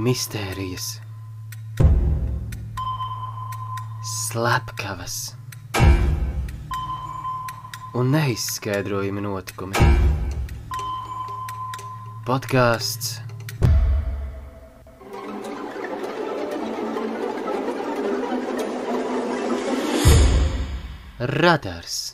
mistērijas, slepkavas un neizskaidrojami notikumi. Podkāsts Radars.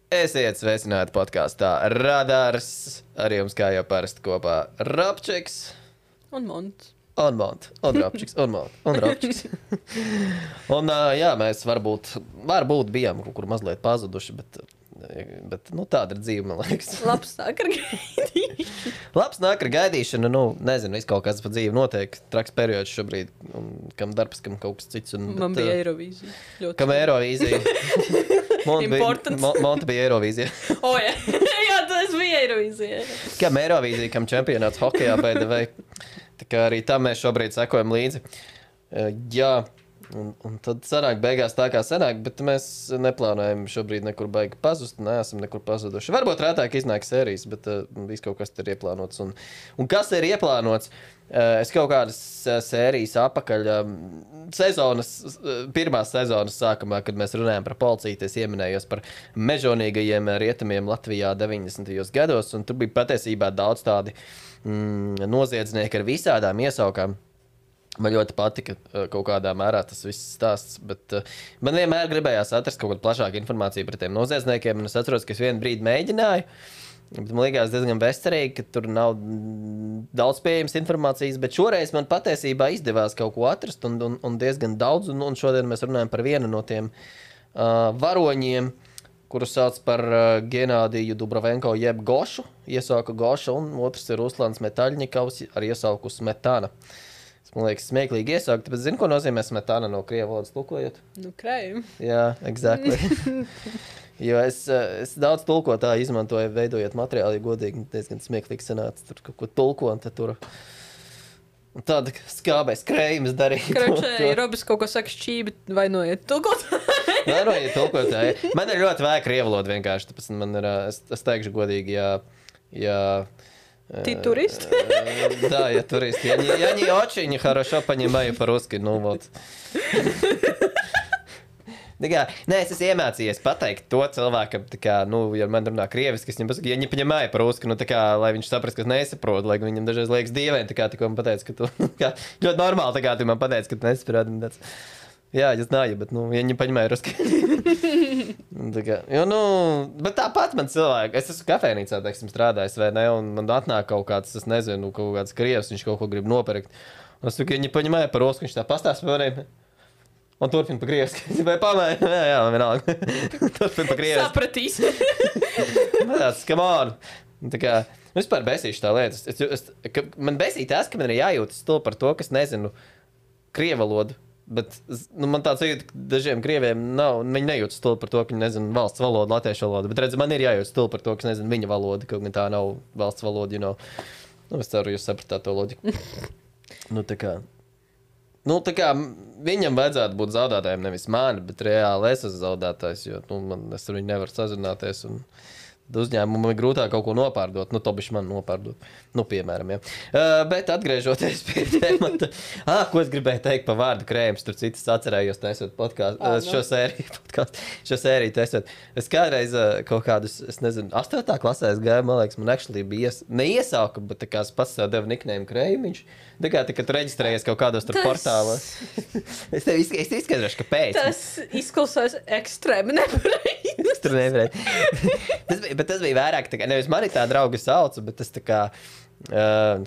Esiet sveicināti podkāstā Radars. Ar jums kā jau parasti kopā Rapčiks. Un Monts. Un Rapčiks. Un Rapčiks. Un jā, mēs varbūt bijām kaut kur mazliet pazuduši, bet nu, tāda ir dzīve, man liekas. Labs nāk ar gaidīšanu. Labs nāk ar gaidīšanu, nu, nezinu, viss kaut kas pa dzīvi notiek. Traks periods šobrīd, un kam darbs, kam kaut kas cits. Man bija Eirovīzija. Kam Eirovīzija? Monta bija Eirovīzija. O, jā. Jā, tas bija Eirovīzija. Kam Eirovīzija, kam čempionāts hokejā BDV. Tā kā arī tam mēs šobrīd sekojam līdzi. Jā, un tad sanāk beigās tā kā sanāk, bet mēs neplānojam šobrīd nekur baigi pazust, neesam nekur pazuduši. Varbūt rētāk iznāk sērijas, bet viss kaut kas ir ieplānots. Un kas ir ieplānots? Es kaut kādas sērijas apakaļ pirmās sezonas sākumā, kad mēs runājam par policiju, es ieminējos par mežonīgajiem rietumiem Latvijā 90. gados, un tur bija patiesībā daudz tādi noziedznieki ar visādām iesaukām. Man ļoti patika kaut kādā mērā tas viss stāsts, bet man vienmēr gribējās atrast kaut kādu plašāku informāciju par tiem noziedzniekiem, un es atceros, ka es vienu brīdi mēģināju, bet man likās diezgan bezcerīgi, ka tur nav daudz pieejams informācijas, bet šoreiz man patiesībā izdevās kaut ko atrast, un diezgan daudz, un šodien mēs runājam par vienu no tiem varoņiem, kuru sauc par Genādiju Dubrovenko jeb Gošu, iesauka Goša, un otrs ir Ruslans Metaļņikovs ar iesauku Smetana. Man liekas, smieklīgi iesaukt, bet zini, ko nozīmē Smetana no krievu valodas tulkojot? Nu, krējumi. Jā, exactly. Jo es daudz tulkotāju izmantoju, veidojot materiālu, ja godīgi diezgan smieklīgi sanāca, tur kaut ko tulko, un tad tur un tāda skābais krējums darīt. Kračē, Robis kaut ko saka šķībi, vainojiet tulkotāji. Vainojiet tulkotāji. Man ir ļoti vajag krievu valodu vienkārši, tāpēc man ir, es teikšu godīgi, ja Ты турист? Да, я турист. Я не очень хорошо понимаю по-русски, ну вот. Nē, es esmu iemācījies pateikt to cilvēkam, tā kā, nu, ja man runā krieviski, es viņam pasaku, ja viņi paņemāja par-ruski, nu, tā kā, lai viņš saprast, ka es nesaprotu, lai viņam dažreiz liekas dīvaini, tā kā, tikko man pateica, ka tu, kā, ļoti normāli, tā kā, tu man pateici, ka tu nesaproti, un tāds, jā, es знаю, bet, nu, ja viņi paņemāja ruski. Tā kā, jo, nu, bet tāpat man cilvēki, es esmu kafēnīcā, teiksim, strādājis, vai ne, un man atnāk kaut kāds, es nezinu, kaut kāds krievs, viņš kaut ko grib nopirkt, un es saku, ja viņi paņemāja par-ruski, viņš tā pastāst par maniem. Un turpina pa krieviski. Vai pamēr? Jā, vienalga. Turpina pa krieviski. Sapratīs. Tāds, come on. Tā kā, vispār besīšu tā lieta. Man besīja tas, ka man ir jājūtas to par to, ka es nezinu krievalodu. Bet nu, man tāds jūtas, ka dažiem krieviem nav, viņi nejūtas to par to, ka viņi nezinu valsts valodu, latviešu valodu. Bet redz, man ir jājūtas to par to, ka es nezinu viņa valodu, kaut gan tā nav valsts valoda, you know. Nu, es ceru, jūs sapratāt to loģiku. Nu, tā kā viņam vajadzētu būt zaudētājiem, nevis mani, bet reāli es esmu zaudētājs, jo es ar viņu nevaru sazināties, un uzņēmumu ir grūtāk kaut ko nopārdot, nu, to bišķi man nopārdot, nu, piemēram, jā. Bet atgriežoties pie temata, ko es gribēju teikt pa vārdu krējums, tur citas atcerējos taisot šo sēriju taisot. Es kādreiz kaut kādus, es nezinu, 8. klasē es gāju, man liekas, man actually bija neiesauka, bet tā kā es pats sev devu nickname krējumiņš. Tā kā tu reģistrējies kaut kādos tur portālos. Es tev izskaidrošu, kāpēc. Tas izklausās ekstrēmi nepareizi. Tur nevarēja. Bet tas bija vairāk, tā kā, nevis mani tā draugi sauca, bet tas tā kā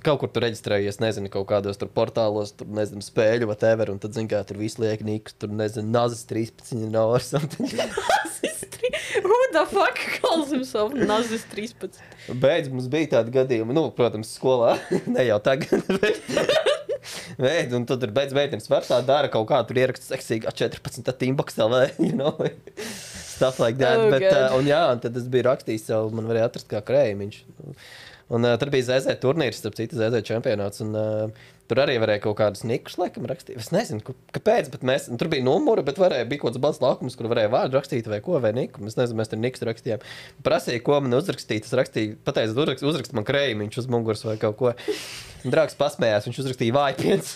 kaut kur tur reģistrējies, nezinu, kaut kādos tur portālos, tur, nezinu, spēļu, whatever, un tad, zin kā, tur visu liek nīkus, tur, nezinu, Nazis 13 nav or something. Nazis 13? Who the fuck calls himself Nazis 13? Beidz, mums bija tādi gadījumi, nu, protams, skolā, ne jau tagad, bet un tu tur beidz meitenes var tā dara kaut kā, tur ieraksts seksīgi 14 Teambox LV, you know, stuff like that, bet, un jā, un tad es biju rakstījis sev, man varēja atrast kā krējumiņš. Un tur bija ZZ turnīrs, starp citu ZZ čempionāts. Un, tur arī varēja kaut kādus nikus, laikam, rakstīt. Es nezinu, kāpēc, bet tur bija numuri, bet bija kaut kāds balss laukums, kur varēja vārdu rakstīt vai ko, vai niku. Es nezinu, mēs tur nikus rakstījām. Prasīja, ko man uzrakstīt. Es rakstīju, pateicu, uzrakst man krējumiņš uz muguras vai kaut ko. Draugs pasmējās, viņš uzrakstīja vājpiens.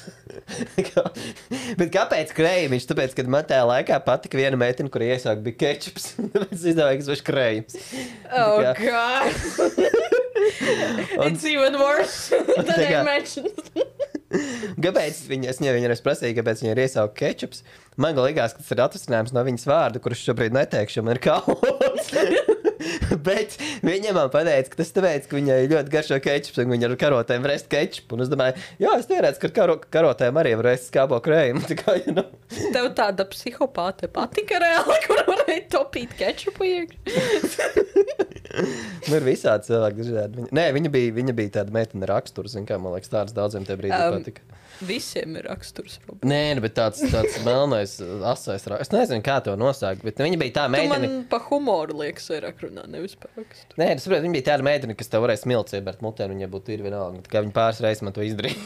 Bet kāpēc krējumiņš? Tāpēc, kad man tajā laikā patika viena meitene, kur iesāk bija kečups. Tāpēc es izdomāju, ka es vairs krējums. Oh, God! It's even worse than I mentioned. Kāpēc es viņai prasīju, kāpēc viņai ir iesaukt kečups? Man liekas, ka tas ir atrasinājums no viņas vārda, kurus šobrīd neteikšu, man ir kauns. Bet viņa man pateica, ka tas tāpēc, ka viņai ļoti garšo kečups, un viņa ar karotēm var ēst kečupu. Un es domāju, jā, es tērēcu, ka karotēm arī var ēst skābo krējumu. Tev tāda psihopāte patika reāli, kur varēja topīt kečupu iekšā. Ir visādi cilvēki dažādi. Nē, viņa bija tāda meitene raksturs, kā man liekas, tāds daudziem tie brīdī patika. Visiem ir raksturs. Nē, bet tāds melnais, asais raksturs. Es nezinu, kā to nosaukt, bet viņa bija tā meitene. Tu man pa humoru liekas vairāk runā, nevis pa raksturu. Nē, es saprotu, viņa bija tāda meitene, kas tev varēja smilts iebērt mutē, un viņa būtu ir vienalga. Tā kā viņa pāris reizes man to izdarīja.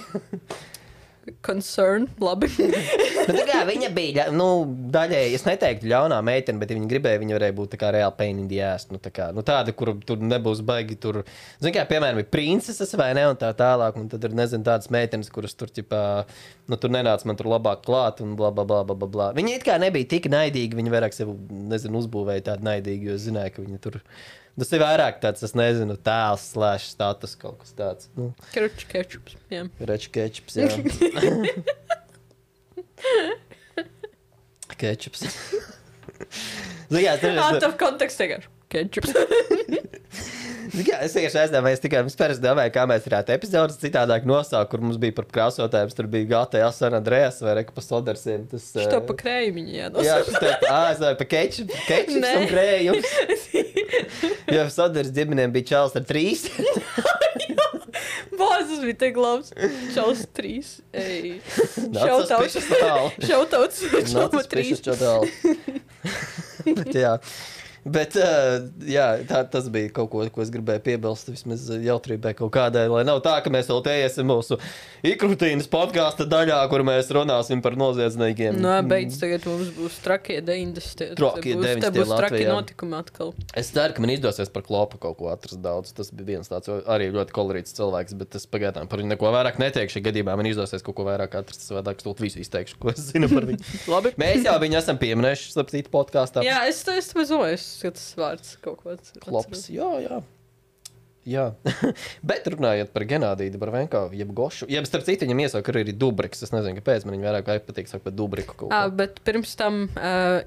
Concern, labi. Tā kā viņa bija, daļēji, es neteiktu ļaunā meitene, bet ja viņa gribēja, viņa varēja būt tā kā reāli pain in the ass. Tāda, kur tur nebūs baigi tur. Zini kā, piemēram, ir princeses vai ne, un tā tālāk, un tad ir, nezinu, tādas meitenes, kuras tur, tur nenāc man tur labāk klāt, un bla, bla, bla, bla, bla. Viņa it kā nebija tik naidīga, viņa vairāk sev, nezinu, uzbūvēja tādu naidīgu, jo zināja, ka viņa tur. Tas ir vairāk tāds, es nezinu, tēls / status kaut kas tāds. Kruču kečups, jā. Kruču kečups, jā. Kečups. Out of context, vienkārši. Kečups. Es vienkārši aizdomājos, es domāju, kā mēs varētu epizodes citādāk nosaukt, kur mums bija par krāsotājiem, tur bija GTA San Andreas vai Reka pa Sodersiem. Što pa krējumiņu jānosaukt. Jā, es domāju, pa kečups un krējums. Jo Soders ģimenēm bija čals ar 3. Bāzes bija te glabs. Čals 3. Šautauts. Čalma 3. Bet jā. Bet, jā, tas bija kaut ko, ko es gribēju piebilst, vismaz jautrībai kaut kādai, lai nav tā, ka mēs vēl te iesim mūsu ikrutīnas podkāsta daļā, kur mēs runāsim par noziedzniekiem. Beidz, tagad mums būs trakie 90. Trakie 90. Te būs traki notikumi atkal. Es ceru, ka man izdosies par Klopu kaut ko atrast daudz. Tas bija viens tāds arī ļoti kolorīts cilvēks, bet es pagaidām par viņu neko vairāk neteikšu. Ja gadījumā man izdosies kaut ko vairāk atrast, es vairāk stūt visu izteikšu, ko es zinu par viņu. Labi. Mēs jau viņu esam pieminējuši, starp citu podkāstā. Jā, es tas vārds kaut ko atceros. Klops, jā. Bet runājot par Genādiju Dabravenko, jeb Gošu, jeb starp citu viņam iesauka arī Dubriks. Es nezinu, kāpēc man viņa vairāk patīk saukt par Dubriku kaut ko. Bet pirms tam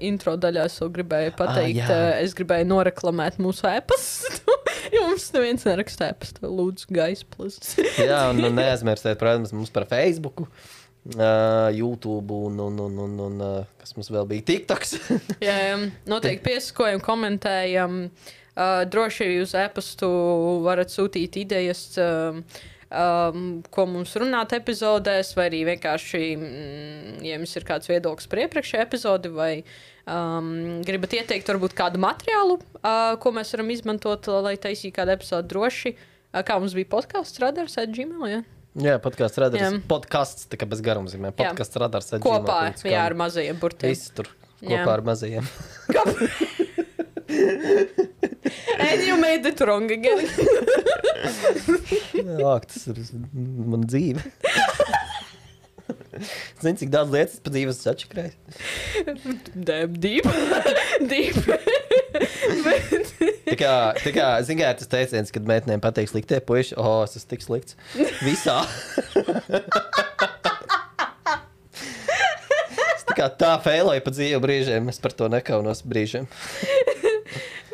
intro daļā es vēl gribēju pateikt, es gribēju noreklamēt mūsu e-pastu. Jo mums neviens neraksta e-pastu. Lūdzu, Guys Plus. Jā, un neaizmirstiet, protams, mums par Facebooku. YouTube un kas mums vēl bija TikToks. Jā, noteikti piesakojam, komentējam. Droši uz e-pastu varat sūtīt idejas, ko mums runāt epizodēs, vai arī vienkārši, ja jums ir kāds viedoklis par iepriekšējo epizodi, vai gribat ieteikt varbūt kādu materiālu, ko mēs varam izmantot, lai taisītu kādu epizodu droši. Kā mums bija podcasts radars@gmail, jā? Jā, podcasts radars. Podcasts, tā kā bez garuma zīmē. Podcasts radars. Kopā, jā, ar mazajiem burtiem. Visi tur kopā ar mazajiem. And you made it wrong again. Jā, tas ir man dzīve. Zini, cik daudz lietas pa dzīves atšakrēju? Damn, deep. Tā kā, zini, kā tas teiciens, kad meitenēm patīk sliktie puiši, es esmu tik slikts. Visā. Es tā feiloju pa dzīvu brīžiem, es par to nekaunos brīžiem.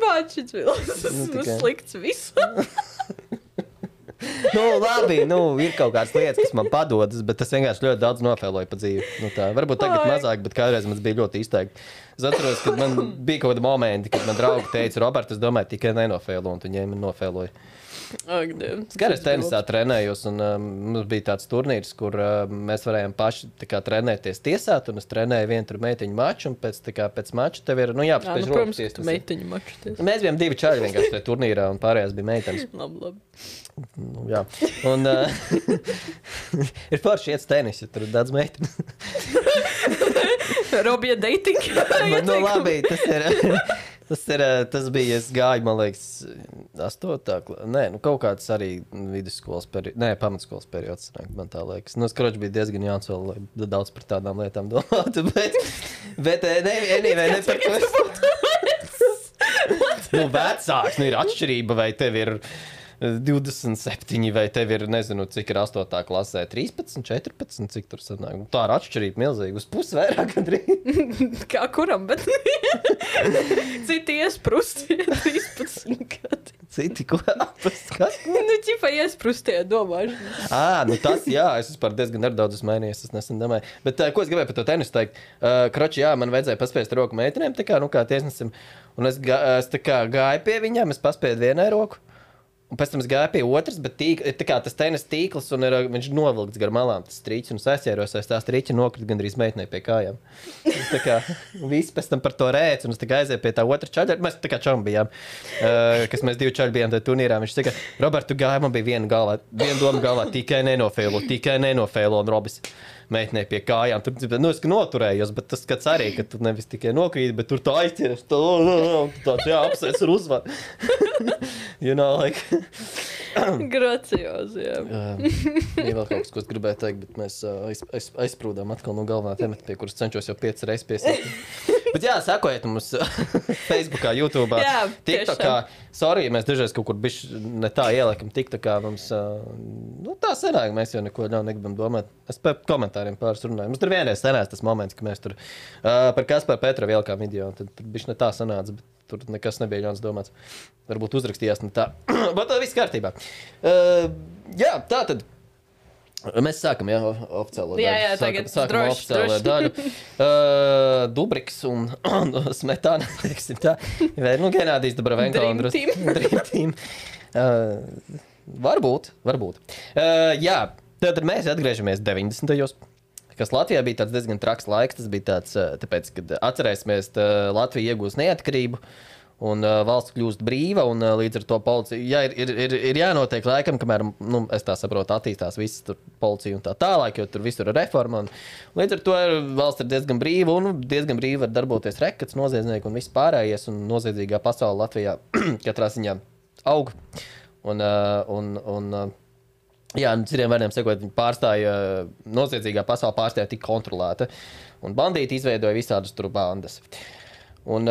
Māčits Vils, esmu slikts visā. Labi, ir kaut kādas lietas, kas man padodas, bet es vienkārši ļoti daudz nofēloju pa dzīvi. Varbūt tagad mazāk, bet kādreiz man bija ļoti izteikti. Es atceros, kad man bija kaut kādi momenti, kad man draugi teica, Robert, es domāju, tikai nenofēlo, un tu ņēmi nofēloju. Ak, Dievs. Gan es tenisā trenējos, un mums bija tāds turnīrs, kur mēs varējām paši trenēties tiesāt, un es trenēju vienu tur meitiņu maču, un pēc mača tev ir, jāpaspēj rokas. Protams, ka tu meitiņu maču tiesā. Mēs bijām 2 čaļi vienkārši tajā turnīrā, un pārējās bija meitenes. Labi. Jā, un ir forši iet tenis, ja tur ir daudz meitenes. Robija dating. Labi, tas bija, es gāju, man liekas, 8. Kaut kāds arī vidusskolas periods, pamatskolas periods, man tā liekas. Es kroči bija diezgan jauns vēl, lai daudz par tādām lietām domātu, bet ne par to. Vecāks, ir atšķirība, vai tev ir 27, vai tev ir, nezinu, cik ir 8. klasē, 13, 14, cik tur sanāk. Tā ir atšķirība milzīga, uz pusi vairāk gandrīz. Kā kuram, bet citi iesprustie 13 gadi. Citi, ko apast? Kas? Ķipa iesprustie domāšana. Tas, jā, es vispār diezgan nedaudz esmu mainījies, es nesen domāju. Bet, ko es gribēju par to tenisu teikt? Kroči, jā, man vajadzēja paspiest roku meitenēm, kā tiesnesim. Un es gāju pie viņām, es paspēju vienai roku. Un pēc tam es gāju pie otras, bet tas tenis tīkls, un viņš novilkts gar malām, tas strīķis, un es aizķēros, tā strīķa nokrita gandrīz meitenei pie kājām. Visi pēc tam par to rēc, un es aizēju pie tā otra čaļa. Mēs čaļi bijām, kas mēs 2 čaļi bijām tajā turnīrā. Viņš saka, Robert, tu gāji, man bija viena doma galvā, tikai nenofēlo, un Robis meitenei pie kājām. Tur, es noturējos, bet tas skats arī, ka tu nevis tikai nokrīt, bet tur tā aizķeras, tāds, apsveic ar uzvaru. Gracios, jā. Ir vēl kaut kas, ko es gribēju teikt, bet mēs aizsprūdām atkal no galvenā temata, pie kuras cenšos jau 5 reizes piesakt. Bet jā, sakojiet mums Facebookā, YouTube'ā, TikTokā. Sorry, mēs dažreiz kaut kur bišķi ne tā ieliekam TikTokā. Mums tā sanāk, mēs jau neko negribam domāt. Es par komentāriem pāris runāju. Mums tur vienreiz sanās tas moments, ka mēs tur par Kasparu Petrovu ielikām video, un tad bišķi ne tā sanāca, bet tur nekas nebija ļauns domāts. Varbūt uzrakstījās ne tā. Bet tā viss kārtībā. Jā, tā tad. Mēs sākam, oficiālo daļu. Jā, tagad sākam oficiālo daļu. Dubriks un Smetana, teiksim tā. Vai, Genādijs Dobravenko un Dream Team. Varbūt. Jā, tad mēs atgriežamies 90. Kas Latvijā bija tāds diezgan traks laiks. Tas bija tāds, tāpēc, kad atcerēsimies, Latvija iegūs neatkarību. Un valsts kļūst brīva, un līdz ar to policija ir jānotiek laikam, kamēr, es tā saprotu, attīstās visas policija un tā tālāk, jo tur visur ir reforma. Līdz ar to valsts ir diezgan brīva, un diezgan brīva var darboties rekats, noziedznieki un viss pārējais, un noziedzīgā pasaule Latvijā katrā ziņā aug. Jā, citiem vārdiem sakot, noziedzīgā pasaule pārstāja tik kontrolēta, un bandīti izveidoja visādas tur bandas. Un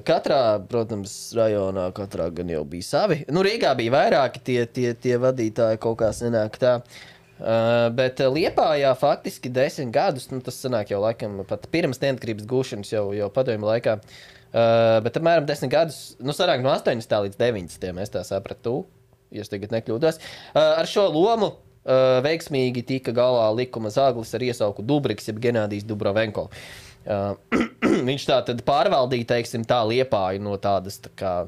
katrā, protams, rajonā katrā gan jau bija savi. Rīgā bija vairāki tie vadītāji, kaut kā sanāk tā. Bet Liepājā faktiski 10 gadus, tas sanāk jau laikam pat pirms neatkarības gūšanas jau padomju laikā. Bet apmēram 10 gadus, sanāk no 80. līdz 90. Es tā sapratu, ja es tagad nekļūdos. Ar šo lomu veiksmīgi tika galā likuma zaglis ar iesauku Dubriks, jeb Genādijs Dobravenko. Viņš tā tad pārvaldīja, teiksim, tā Liepāju no tādas, tā kā,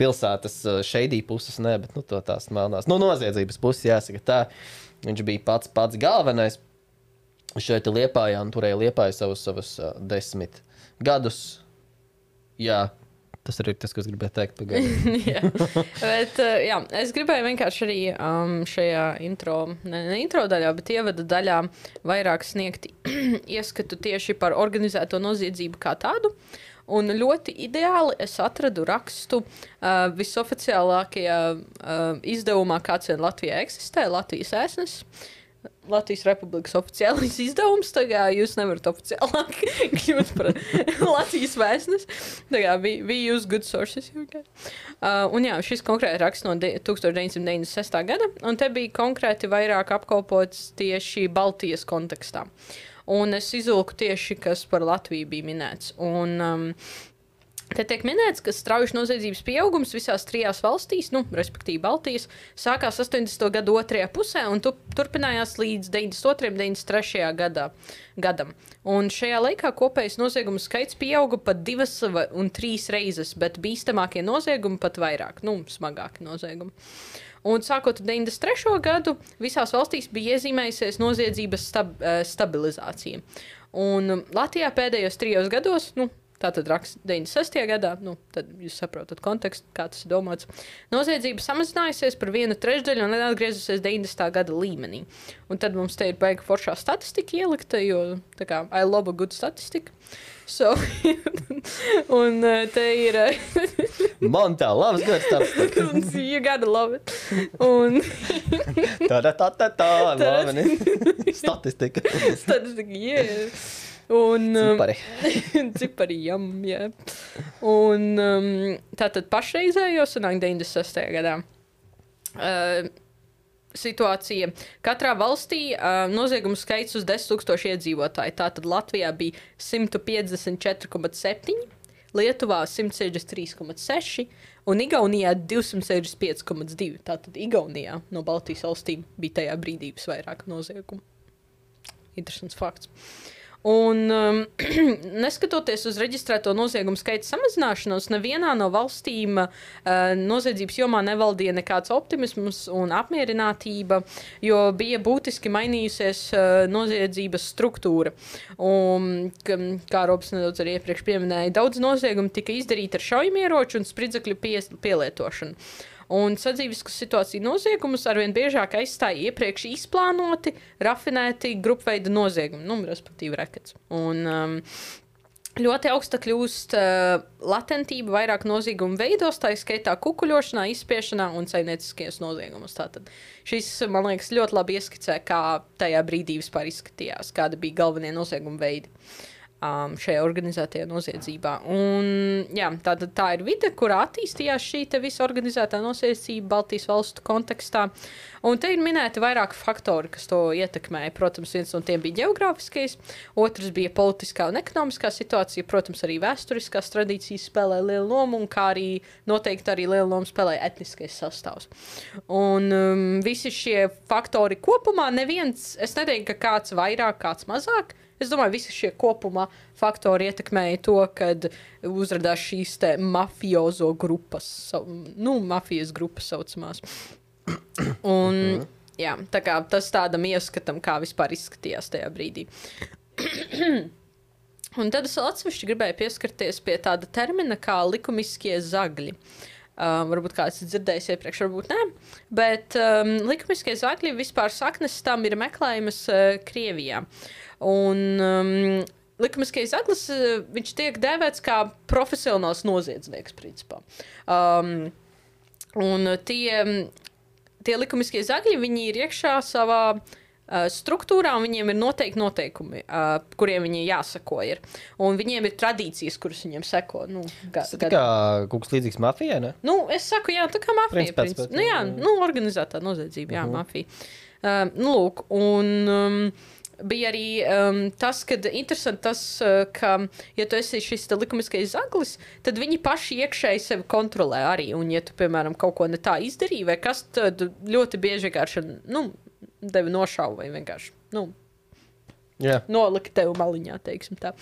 pilsētas šeidī puses, bet, tās melnās, noziedzības puses, jāsaka tā. Viņš bija pats galvenais šeit Liepājā, un turēja Liepāju savus 10 gadus. Jā. Tas arī ir tas, ko es gribēju teikt. Bet, jā, es gribēju vienkārši arī šajā intro daļā, bet ievada daļā vairāk sniegt ieskatu tieši par organizēto noziedzību kā tādu. Un ļoti ideāli es atradu rakstu visoficiālākajā izdevumā, kāds vien Latvijā eksistē, Latvijas ēsnes. Latvijas Republikas oficiālais izdevums. Tagad jūs nevarat oficiālāk kļūt par Latvijas vēstnes. Tagad we use good sources. Okay. Un jā, šis konkrēti raksts no 1996. gada. Un te bija konkrēti vairāk apkopots tieši Baltijas kontekstā. Un es izulku tieši, kas par Latviju bija minēts. Un Te tiek minēts, ka strauji noziedzības pieaugums visās 3 valstīs, respektīvi Baltijas, sākās 80. gadu otrajā pusē un turpinājās līdz 92. un 93. gadam. Un šajā laikā kopējais noziegumu skaits pieauga pat 2 un 3 reizes, bet bīstamākie noziegumi pat vairāk, smagāki noziegumi. Un sākot ar 93. gadu, visās valstīs bija iezīmējusies noziedzības stabilizācija. Un Latvijā pēdējos 3 gados, tātad raksts 96. gadā, tad jūs saprotat kontekstu, kā tas ir domāts. Noziedzība samazinājusies par 1/3 un atgriezusies 90. gada līmenī. Un tad mums te ir baigi foršā statistika ielikta, jo tā kā I love a good statistika. So, un te ir... Man tā labs gads statistika. You gotta love it. Un... Statistika. Statistika, yeah. Un, cipari, jā. Un tātad pašreizējo sanāk 96. gadā. Situācija. Katrā valstī noziegumu skaits uz 10,000 iedzīvotāju. Tātad Latvijā bija 154,7, Lietuvā 163,6 un Igaunijā 265,2. Tātad Igaunijā no Baltijas valstīm bija tajā brīdī visvairāk noziegumu. Interesants fakts. Un neskatoties uz reģistrēto noziegumu skaita samazināšanos, nevienā no valstīm noziedzības jomā nevaldīja nekāds optimisms un apmierinātība, jo bija būtiski mainījusies noziedzības struktūra. Un, kā Robs nedaudz arī iepriekš pieminēja, daudz noziegumu tika izdarīti ar šaujamieroču un spridzekļu pielietošanu. Un sadzīviskas situāciju noziegumus arvien biežāk aizstāja iepriekš izplānoti, rafinēti grupveida noziegumi, respektīvi rekets. Un ļoti augsta kļūst latentība vairāk noziegumu veidos, tā skaitā kukuļošanā, izspiešanā un saimnieciskajos noziegumus. Tātad šis, man liekas, ļoti labi ieskicē, kā tajā brīdī vispār izskatījās, kāda bija galvenie noziegumu veidi. Šajā organizētajā noziedzībā. Un, jā, tā ir vide, kurā attīstījās šī te visa organizētā noziedzība Baltijas valstu kontekstā. Un te ir minēti vairāki faktori, kas to ietekmēja. Protams, viens no tiem bija ģeogrāfiskais, otrs bija politiskā un ekonomiskā situācija, protams, arī vēsturiskās tradīcijas spēlē lielu lomu, un kā arī noteikti arī lielu lomu spēlē etniskais sastāvs. Un visi šie faktori kopumā neviens, es neteiktu, ka kāds vairāk, kāds mazāk. Es domāju, visi šie kopumā faktori ietekmēja to, kad uzradās šīs te mafiozo grupas, mafijas grupas saucamās. Un, jā, tā kā tas tādam ieskatam, kā vispār izskatījās tajā brīdī. Un tad es atsevišķi gribēju pieskarties pie tāda termina kā likumiskie zagļi. Varbūt kāds ir dzirdējis iepriekš, varbūt nē, bet likumiskie zagļi vispār saknes tam ir meklējamas Krievijā. Un likumiskais zaglis, viņš tiek dēvēts kā profesionāls noziedznieks, principā. Un tie likumiskie zagļi, viņi ir iekšā savā struktūrā, un viņiem ir noteikti noteikumi, kuriem viņi jāsako ir. Un viņiem ir tradīcijas, kuras viņiem seko. Tas ir kā kaut kas līdzīgs mafijai, ne? Es saku, jā, tā kā mafija. Organizētā noziedzība, jā, mafija. Lūk, un... bija arī tas, kad interesanti tas, ka, ja tu esi šis likumiskais zaglis, tad viņi paši iekšēji sevi kontrolē arī. Un, ja tu, piemēram, kaut ko ne tā izdarīji, vai kas, tad ļoti bieži vienkārši, tevi nošauj vai vienkārši, nolika tevi maliņā, teiksim tā.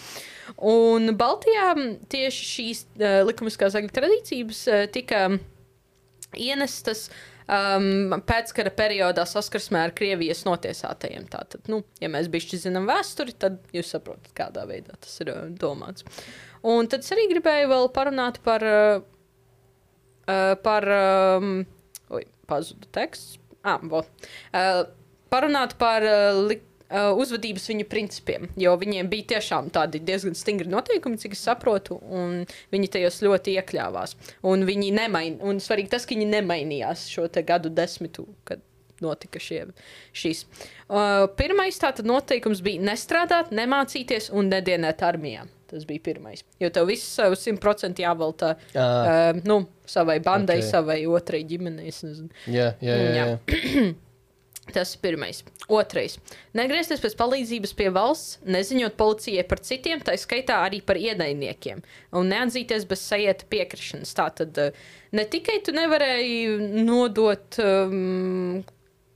Un Baltijā tieši šīs likumiskās zagļu tradīcības tika ienestas pēckara periodā saskarsmē ar Krievijas notiesātajiem. Tātad, ja mēs bišķi zinām vēsturi, tad jūs saprotat, kādā veidā tas ir domāts. Un tad es arī gribēju vēl parunāt par pazudu teksts. Parunāt par uzvedības viņu principiem, jo viņiem bija tiešām tādi diezgan stingri noteikumi, cik es saprotu, un viņi tajos ļoti iekļāvās. Un viņi un svarīgi tas, ka viņi nemainījās šo te gadu desmitu, kad notika šīs. Pirmais tātad noteikums bija nestrādāt, nemācīties un nedienēt armijā. Tas bija pirmais. Jo tev viss 100% jāveltā savai bandai, savai otrai ģimenei. Jā. Tas ir pirmais. Otrais. Negriezties pēc palīdzības pie valsts, neziņot policijai par citiem, tā skaitā arī par ienaidniekiem, un neatzīties bez sajieta piekrišanas. Tātad ne tikai tu nevarēji nodot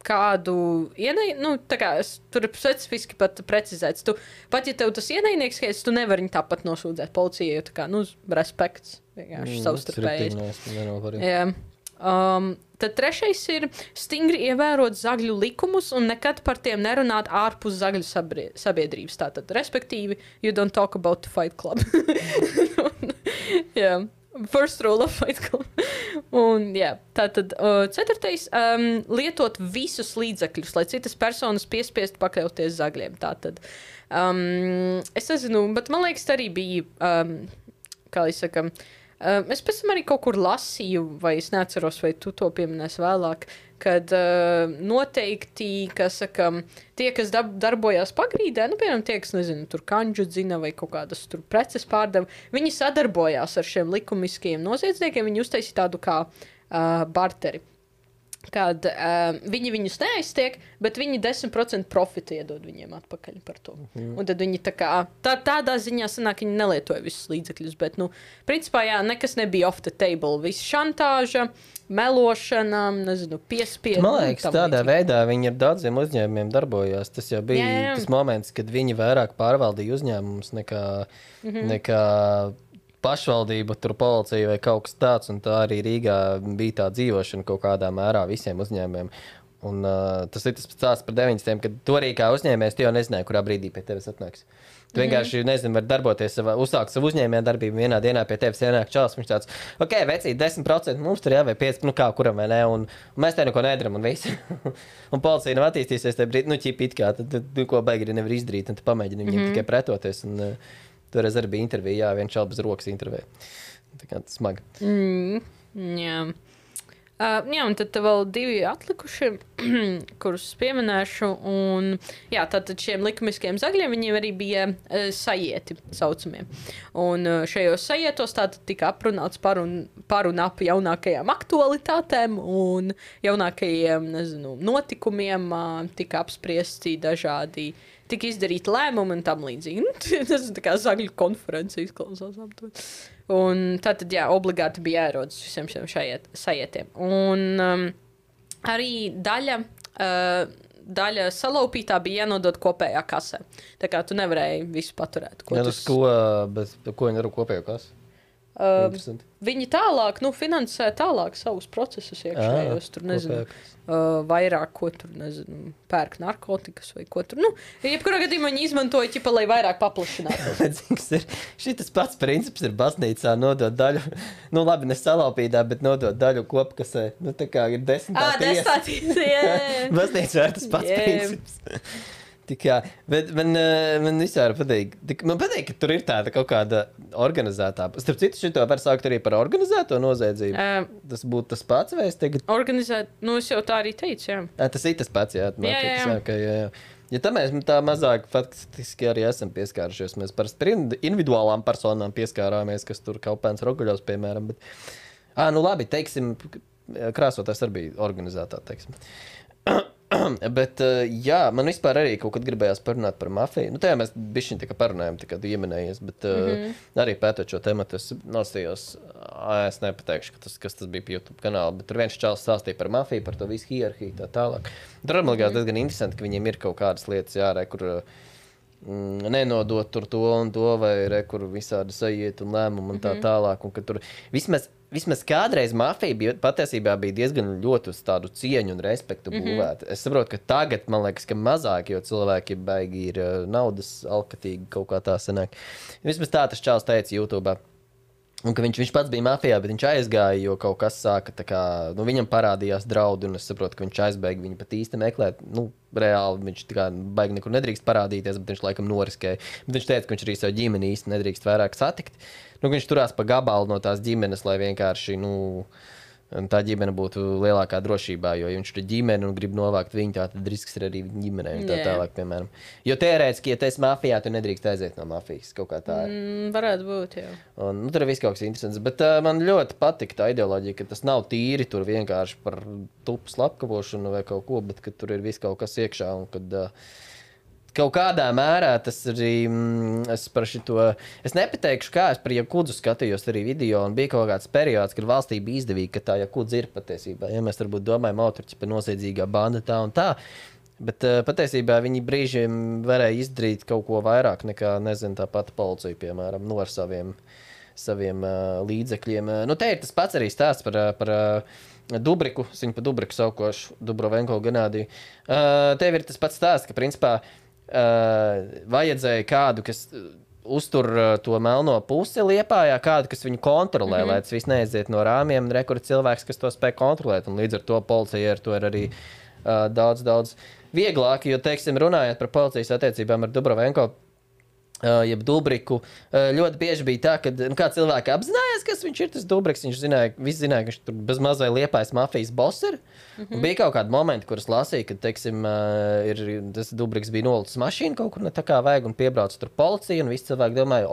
kādu ienaidnieku, tā kā tur ir specifiski pat precizēts. Pat ja tev tas ienaidnieks skaits, tu nevari viņu tāpat nosūdzēt policijai, jo tā kā, respekts vienkārši savstarpēji. Tad trešais ir stingri ievērot zagļu likumus un nekad par tiem nerunāt ārpus zagļu sabiedrības. Tātad, respektīvi, you don't talk about the Fight Club. Yeah. First rule of Fight Club. Un, jā, tātad, ceturtais, lietot visus līdzekļus, lai citas personas piespiestu pakļauties zagļiem. Tātad, es nezinu, bet man liekas, arī bija, kā lai saka, es pēc tam arī kaut kur lasīju, vai es neatceros, vai tu to pieminēsi vēlāk, kad noteikti, kas saka, tie, kas darbojās pagrīdē, piemēram, tie, kas, nezinu, tur kanģu dzina vai kaut kādas tur preces pārdeva, viņi sadarbojās ar šiem likumiskajiem noziedzniekiem, viņi uztaisīja tādu kā barteri. Kad viņi viņus neaiztiek, bet viņi 10% profitu iedod viņiem atpakaļ par to. Un tad viņi tādā ziņā sanāk, viņi nelietoja visus līdzekļus, bet, principā, jā, nekas nebija off the table. Viss šantāža, melošana, nezinu, piespiedu. Man liekas, tādā veidā viņi ar daudziem uzņēmumiem darbojās. Tas jau bija tas moments, kad viņi vairāk pārvaldīja uzņēmumus nekā pašvaldība, tur policija vai kaut kas tāds, un tā arī Rīgā bija tā dzīvošana kaut kādā mērā visiem uzņēmumiem. Un tas ir tas stāsts par 90. kad tu arī kā uzņēmējs, tu jau nezināji, kurā brīdī pie tevis atnāks. Tu vienkārši, nezinu, var darboties, uzsākt savu uzņēmēju darbību, vienā dienā pie tevis ienāk čalis, viņš tāds, ok, vecīt, 10%, mums tur jāvai 5%, kā kuram vai ne, un mēs te neko nedaram, un viss. Un policija nav attīstīsies tajā brīdī, ķip it kā, tad ko baigi arī nevar izdarīt, un tu pamēģini viņiem tikai pretoties, un toreiz arī bija intervija, viens čalis bez rokas intervēja. Tā kā tas smagi. Jā. Jā, un tad vēl 2 atlikuši, kurus pieminēšu. Un, jā, tātad šiem likumiskiem zagļiem viņiem arī bija sajieti saucamie. Un šajos sajietos tātad tika aprunāts par un ap jaunākajām aktualitātēm un jaunākajiem, nezinu, notikumiem, tika apspriesti dažādi, tika izdarīti lēmumi un tam līdzīgi. Tas tā kā zagļu konferences izklausās aptuveni. Un tātad, jā, obligāti bija jāierodas visiem šiem sajietiem. Un arī daļa salaupītā bija jānodod kopējā kasē. Tā kā tu nevarēji visu paturēt. Ko viņi dara kopējā kasē? Viņi tālāk, finansē tālāk savus procesus iekšējos, tur nezinu, vairāk, ko tur, nezinu, pērk narkotikas vai ko tur. Jebkurā gadījumā viņi izmantoja ķipa, lai vairāk paplašinātu. Šitas pats princips ir baznīcā nodot daļu, labi, ne salaupītā, bet nodot daļu kopkasē. Tā kā ir 10. tiesa. Baznīcā ir tas pats princips. Tikā, bet man vispār patīk. Man patīk, ka tur ir tāda kaut kāda organizētā. Starp citu, šito var saukt arī par organizēto noziedzību. Tas būtu tas pats, vai es tagad? Organizēt, es jau tā arī teicu, jā. Tas ir tas pats, jā. Jā. Ja tā mēs tā mazāk faktiski arī esam pieskārušies. Mēs parasti par individuālām personām pieskārāmies, kas tur Kaupēns Roguļos, piemēram. Bet, labi, teiksim, krāsotājs arī bija organizētā, teiksim. Bet, jā, man vispār arī kaut kad gribējās parunāt par mafiju. Tajā mēs bišķiņ tā kā parunājam, tā kā tu ieminējies, bet arī pētot šo tematu, es nostījos, es nepateikšu, kas tas bija pie YouTube kanāla, bet tur viens čāls stāstīja par mafiju, par to visu hierarhiju, tā tālāk. Tur man likās diezgan interesanti, ka viņiem ir kaut kādas lietas jārē, kur nenodot tur to un to, vai kur visādi sajiet un lēmumu un tā tālāk, un ka tur vismaz kādreiz mafija patiesībā bija diezgan ļoti uz tādu cieņu un respektu būvēta. Es saprotu, ka tagad, man liekas, ka mazāk, jo cilvēki baigi ir naudas alkatīgi kaut kā tā sanāk. Vismaz tā tas čāls teica YouTube'ā. Un ka viņš pats bija mafijā, bet viņš aizgāja, jo kaut kas sāka tā kā, viņam parādījās draudi, un es saprotu, ka viņš aizbēga viņu pat īsti meklēt. Reāli viņš tā kā baigi nekur nedrīkst parādīties, bet viņš laikam noriskēja. Bet viņš teica, ka viņš arī savu ģimeni īsti nedrīkst vairāk satikt. Viņš turās pa gabalu no tās ģimenes, lai vienkārši, Un tā ģimene būtu lielākā drošībā, jo ja viņš ir ģimene un grib novākt viņu, tad risks ir arī ģimenei un tā tālāk, piemēram. Jo teorētiski, ja tu esi mafijā, tu nedrīkst aiziet no mafijas, kaut kā tā ir. Varētu būt, jā. Un, tur ir viss kaut kas interesants, bet man ļoti patika tā ideoloģija, ka tas nav tīri tur vienkārši par tupu slapkavošanu vai kaut ko, bet ka tur ir viss kaut kas iekšā un kad... Kaut kādā mērā tas arī, es nepateikšu, kā es par Jakudzu skatījos arī video, un bija kaut kāds periods, kad valstī bija izdevīgi, ka tā Jakudza ir patiesībā. Ja mēs varbūt domājam, autorķi par noziedzīgā banda tā un tā, bet patiesībā viņi brīžiem varēja izdarīt kaut ko vairāk nekā, nezinu, tā pati policija, piemēram, ar saviem līdzekļiem. Nu, te ir tas pats arī stāsts par Dubriku, es viņu pa Dubriku saukošu, Dubrovenko Genādiju. Tev ir tas pats stāsts, ka, principā, vajadzēja kādu, kas uztur to melno pusi Liepājā, kādu, kas viņu kontrolē, lai tas viss neaiziet no rāmiem, un rekur cilvēks, kas to spēj kontrolēt, un līdz ar to policija ar to ir arī daudz vieglāk, jo, teiksim, runājot par policijas attiecībām ar Dubrovenko, jeb Dubriku, ļoti bieži bija tā, ka kā cilvēki apzinājās, kas viņš ir, tas Dubriks, visi zināja, ka viņš tur bez mazai Liepājas mafijas boss ir. Un bija kaut kādi momenti, kuras lasīja, kad, teiksim, tas Dubriks bija nolicis mašīnu kaut kur ne tā kā vajag un piebrauc tur policija, un visi cilvēki domāja,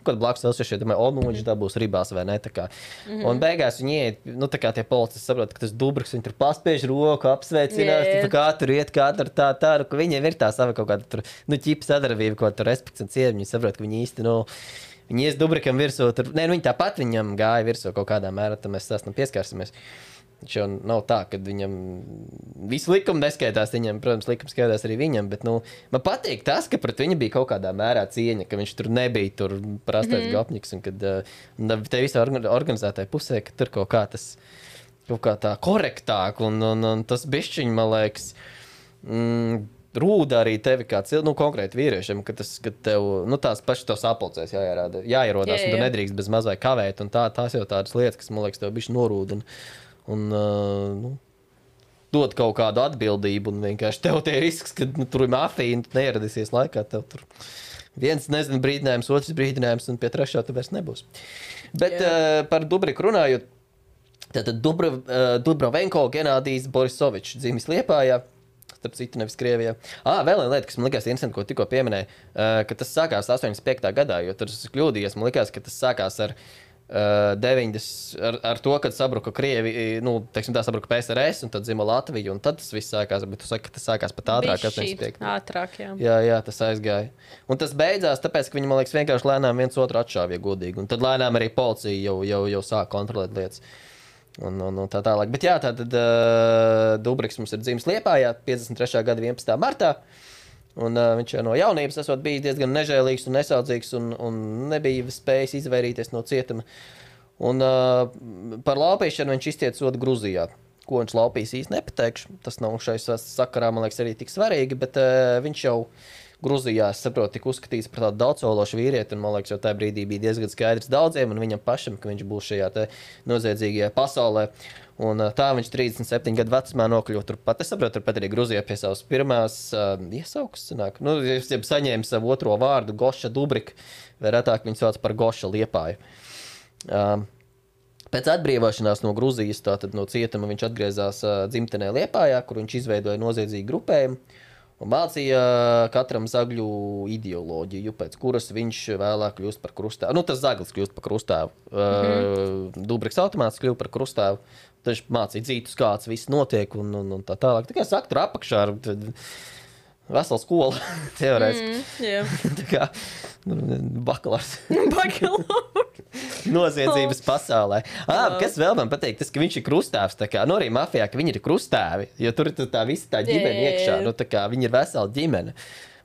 kad blakus vēl domāja, viņš dabūs ribās vai ne, tā kā. Un beigās viņi iet, tā kā tie policisti saprot, ka tas Dubriks, viņi tur paspiež roku, apsveicinās, kā tur iet, kā tur tā, ka viņiem ir tā sava kaut kāda tur, ķipa sadarbība, ko tur respekts un cieņa, viņi saprot, ka viņi īsti, viņi ies Dubrikam virsū, tur, viņi tāpat viņam gāja virsū kaut kādā mērā, tad mēs sastam pieskārsimies. Viņš jau nav tā, ka viņam visu likumu neskaitās viņam, protams, likums skaitās arī viņam, bet, man patīk tas, ka pret viņu bija kaut kādā mērā cieņa, ka viņš tur nebija tur prastais gopņiks, un kad te visā organizētāja pusē, ka tur kaut kā tā korektāk, un tas bišķiņ, man liekas, rūda arī tevi kā konkrēti vīriešiem, ka tev, tās paši tev sapulcēs jāierodās, un tu nedrīkst bez mazai kavēt, un tās jau tādas lietas, kas, man liekas, tev bišķi norūda, un dod kaut kādu atbildību, un vienkārši tev tie risks, ka tur ir mafija, un tu neieradīsies laikā, tev tur viens, nezinu, brīdinājums, otrs brīdinājums, un pie trešā tu vairs nebūs. Bet par Dubriku runājot, tātad Dubrovenko Genādijs Borisovičs dzimis Liepājā, starp citu nevis Krievijā. Vēl viena lieta, kas man likās interesanti, ko tikko pieminēja, ka tas sākās 85. gadā, jo tur es kļūdījies, man likās, ka tas sākās ar 90, ar to, kad sabruka Krievi, teiksim tā, sabruka PSRS, un tad dzima Latvija, un tad tas viss sākās, bet tu saki, ka tas sākās pat ātrāk. Ātrāk, jā. Jā, tas aizgāja. Un tas beidzās, tāpēc, ka viņi, man liekas, vienkārši lēnām viens otru atšāvja godīgi, un tad lēnām arī policija jau sāk kontrolēt lietas. Un tā tālāk. Bet jā, tātad Dubriks mums ir dzimis Liepājā 53. gada 11. martā. Un viņš no jaunības esot bijis diezgan nežēlīgs un nesaudzīgs un nebija spējis izvairīties no cietuma. Un par laupīšanu viņš iztiec sodu Gruzijā. Ko viņš laupīs īsti nepateikšu. Tas nav šai sakarā, man liekas, arī tik svarīgi, bet viņš jau Gruzijā, es saprotu, tika uzskatīts par tādu daudzsološu vīrieti, un man liekas, jau tajā brīdī bija diezgan skaidrs daudziem, un viņam pašam, ka viņš būs šajā te noziedzīgajā pasaulē. Un tā viņš 37 gadu vecumā nokļuva turpat. Es saprotu, turpat arī Gruzijā pie savas pirmās iesaukas sanāk. Saņēma savu otro vārdu, Goša Dubrika, vai retāk viņu sauc par Goša Liepāju. Pēc atbrīvošanās no Gruzijas, tātad no cietuma, viņš atgriezās dzimtenē Liepājā, kur viņš izveidoja noziedzīgu grupējumu un mācīja katram zagļu ideoloģiju, pēc kuras viņš vēlāk kļūst par krustāvu. Tas zaglis kļūst par krustāvu. Dubriks automāts kļūst par krustāvu. Tad viņš mācīja dzītus, kāds viss notiek un tā tālāk. Tā kā saka, tur apakšā ar veselu skolu teorētiski. Tā kā bakalārs. Noziedzības pasaulē. Kas vēl man patīk, tas, ka viņš ir krustāvs, tā kā, arī mafijā, ka viņi ir krustāvi, jo tur ir tā visa tā ģimene iekšā, tā kā viņi ir vesela ģimene.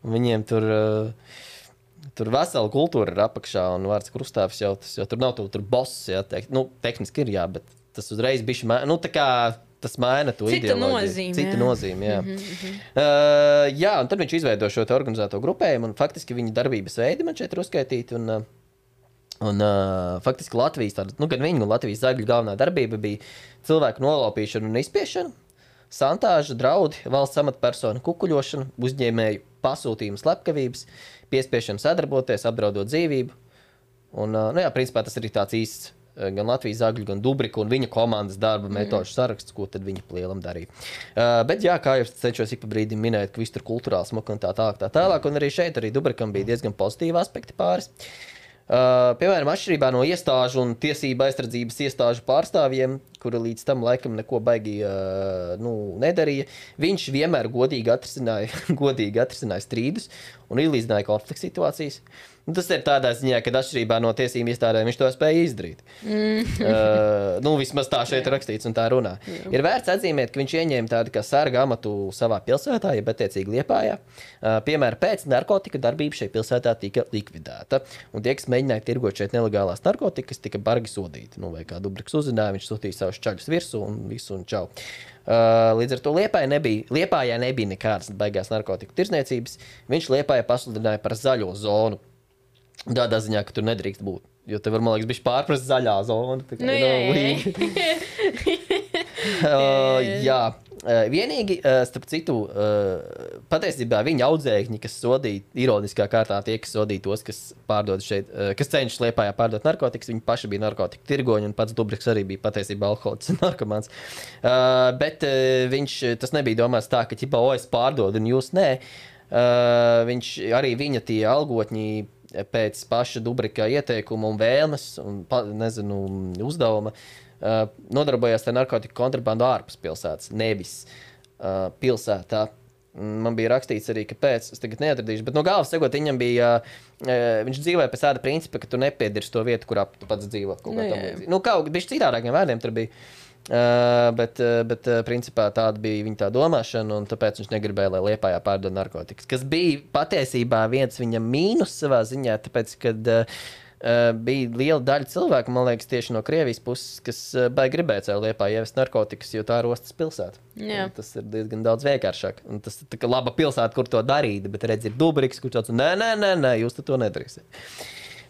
Un viņiem tur vesela kultūra ir apakšā, un vārds krustāvs jau tur nav tur boss, jā, tehniski ir, jā, bet tas uzreiz bišķi, tā kā tas maina to ideoloģiju. Cita nozīme, jā. Jā, un tad viņš izveido šo te organizēto grupējumu, un faktiski viņa darbības veidi man šeit ir uzskaitīti, un faktiski Latvijas, gan viņa un Latvijas zagļu galvenā darbība bija cilvēku nolaupīšana un izspiešana, santāža, draudi, valsts amatpersona kukuļošana, uzņēmēju pasūtījumu slepkavības, piespiešana sadarboties, apdraudot dzīvību. Un, principā tas arī tāds īsts gan Latvijas Zagļu, gan Dubrika un viņa komandas darba metožu saraksts, ko tad viņi plielam darīja. Bet jā, kā jau cenšos ik pa brīdim minēt, ka viss tur kulturāli smuka un tā tālāk, un arī šeit arī Dubrikam bija diezgan pozitīvi aspekti pāris. Piemēram, atšķirībā no iestāžu un tiesība aizsardzības iestāžu pārstāvjiem, kuri līdz tam laikam neko baigi nedarīja, viņš vienmēr godīgi atrisināja strīdus un izlīdzināja konflikta situācijas. Tas ir tādā ziņā, ka atšķirībā no tiesību iestādēm viņš to spēja izdarīt. Vismaz tā šeit rakstīts un tā runā. Ir vērts atzīmēt, ka viņš ieņēma tādu kā sarga amatu savā pilsētā, ja attiecīgi Liepājā. Piemēram, pēc narkotika darbība šai pilsētā tika likvidēta. Un tie, kas mēģināja tirgot šeit nelegālās narkotikas, tika bargi sodīti. Vai kā Dubriks uzzināja, viņš sūtīja savus čaļus virsū un visu un čau. Līdz ar to Liepājā nebija nekādas baigās narkotiku tirzniecības. Viņš Liepājā pasludināja par zaļo zonu. Tādā ziņā, ka tur nedrīkst būt. Jo te var, man liekas, bišķi pārprast zaļā zona. Jā. Vienīgi, starp citu, patiesībā viņa audzēkņi, kas sodīja, ironiskā kārtā tie, kas sodīja tos, kas pārdod šeit, kas cenšas Liepājā pārdot narkotikas, viņi paši bija narkotiku tirgoņi, un pats Dubriks arī bija patiesībā alkoholiķis un narkomāns. Bet tas nebija domāts tā, ka ķipa, es pārdodu un jūs nē. Viņš arī viņa tie algotņi pēc paša Dubrika ieteikuma un vēlmes un, uzdevuma nodarbojās ar narkotiku kontrabandu ārpus pilsētas, nevis pilsētā. Man bija rakstīts arī, kāpēc, es tagad neatradīšu, bet no galvas segot, viņam bija, viņš dzīvoja pēc tāda principa, ka tu nepiedirsi to vietu, kurā tu pats dzīvo. Kaut bišķi citādākiem vārdiem tur bija. Bet principā tāda bija viņa tā domāšana, un tāpēc viņš negribēja, lai Liepājā pārdod narkotikas. Kas bija patiesībā viens viņam mīnus savā ziņā, tāpēc, kad bija liela daļa cilvēku, man liekas, tieši no Krievijas puses, kas baigi gribēja caur Liepāju ievest narkotikas, jo tā ir ostas pilsēta. Tas ir diezgan daudz vienkāršāk. Un tas ir tā kā laba pilsēta, kur to darīt, bet redz, ir Dubriks, kurš tāds, nē, jūs to nedarīsiet.